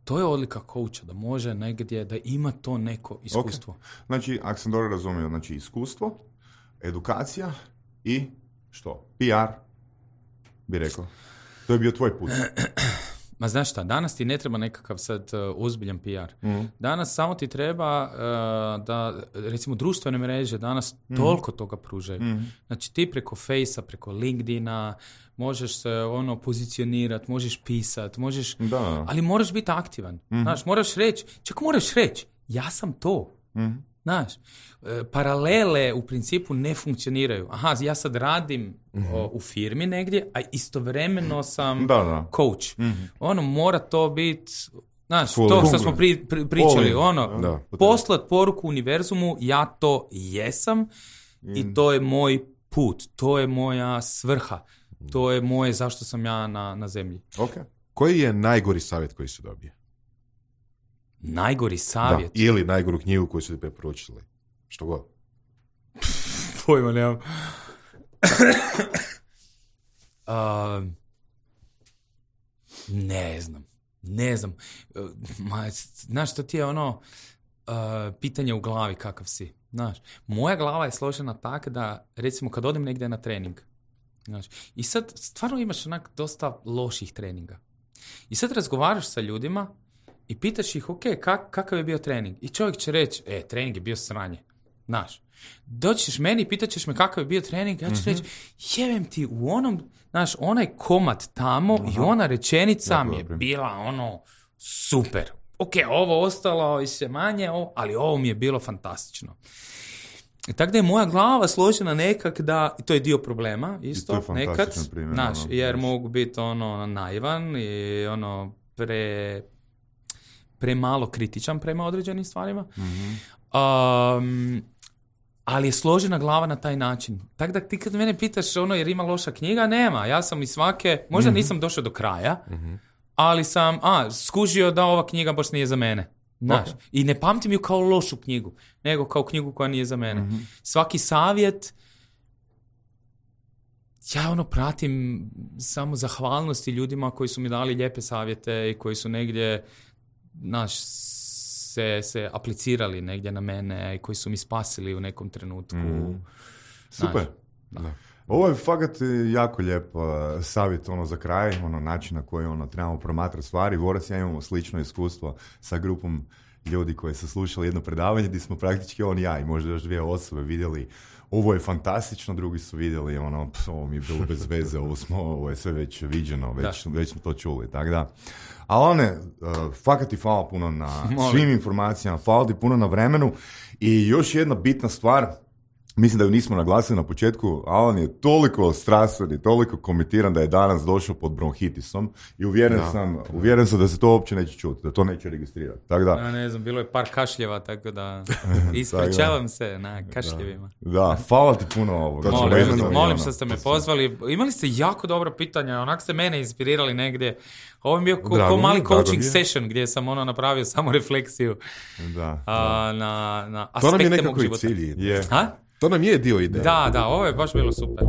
to je odlika coacha, da može negdje, da ima to neko iskustvo. Okay. Znači, ako sam dobro razumio, znači iskustvo, edukacija i što? P R, bi rekao. To je bio tvoj put. Ma znaš šta, danas ti ne treba nekakav sad uh, ozbiljan P R. Mhm. Danas samo ti treba uh, da, recimo, društvene mreže danas toliko toga pružaju. Mhm. Znači ti preko Facea, preko LinkedIna možeš se ono pozicionirati, možeš pisati, možeš, Da. ali moraš biti aktivan. Znaš, moraš reći, čak moraš reći, ja sam to. Mhm. Znaš, e, paralele u principu ne funkcioniraju. Aha, ja sad radim o, u firmi negdje, a istovremeno sam Da, da. coach. Ono, mora to biti, znaš, Full to što in. smo pri, pri, pričali, All in. ono, Da. poslat poruku univerzumu, ja to jesam i to je moj put, to je moja svrha, to je moje zašto sam ja na, na zemlji. Ok. Koji je najgori savjet koji su dobije? Najgori savjet. Da. Ili najgoru knjigu koju su ti preporučili? Što god. Pojma nemam. uh, ne znam. Ne znam. Uh, ma, znaš, to ti je ono uh, pitanje u glavi kakav si. Znaš, moja glava je složena tako da, recimo, kad odem negdje na trening, znaš, i sad stvarno imaš onak dosta loših treninga. I sad razgovaraš sa ljudima i pitaš ih, ok, kak, kakav je bio trening? I čovjek će reći, e, trening je bio sranje. Znaš, doćiš meni i pitat ćeš me kakav je bio trening, ja ću mm-hmm. reći, jebem ti u onom, znaš, onaj komad tamo uh-huh. i ona rečenica Jako mi je dobro. bila ono super. Ok, ovo ostalo i sve manje, ovo, ali ovo mi je bilo fantastično. I tako da je moja glava složena nekak da, i to je dio problema isto, I to je nekad, fantastičan primjer, znaš, ono, jer znaš. mogu biti ono naivan i ono pre, premalo kritičan prema određenim stvarima. Mm-hmm. Um, ali je složena glava na taj način. Tako da ti kad mene pitaš ono jer ima loša knjiga, nema. Ja sam iz svake, možda mm-hmm. nisam došao do kraja, mm-hmm. ali sam a, skužio da ova knjiga baš nije za mene. Znaš, okay. I ne pamtim ju kao lošu knjigu, nego kao knjigu koja nije za mene. Mm-hmm. Svaki savjet, ja ono pratim samo zahvalnosti ljudima koji su mi dali lijepe savjete i koji su negdje, znaš, se, se aplicirali negdje na mene i koji su mi spasili u nekom trenutku. Mm. Super. Da. Da. Ovo je fakat jako lijep uh, savjet ono, za kraj, ono, način na koji ono, trebamo promatrati stvari. Vorac, ja imamo slično iskustvo sa grupom ljudi koji su slušali jedno predavanje gdje smo praktički on i ja i možda još dvije osobe vidjeli ovo je fantastično, drugi su vidjeli ono, pf, ovo mi je bilo bez veze, ovo, smo, ovo je sve već viđeno, već, već smo to čuli, tako da. A one, uh, fakat ti hvala puno na Molim. svim informacijama, hvala ti puno na vremenu i još jedna bitna stvar, mislim da ju nismo naglasili na početku, Alan je toliko strastven i toliko komitiran da je danas došao pod bronhitisom i uvjeren, da. sam, uvjeren sam da se to uopće neće čuti, da to neće registrirati. Tako da, Ja ne znam, bilo je par kašljeva, tako da ispričavam se na kašljevima. da, hvala ti puno ovoga. Molim, Vezano molim, i molim ono. što ste me pozvali. Imali ste jako dobra pitanja, onak ste mene inspirirali negdje. Ovo je bio ko, Drago ko mi, mali drago coaching mi je. session gdje sam ono napravio samo refleksiju Da, a, na, na To nam je aspekte mog nekako i života. cilj. je. Ha? To nam je dio ideje. Da, da, ovo je baš bilo super.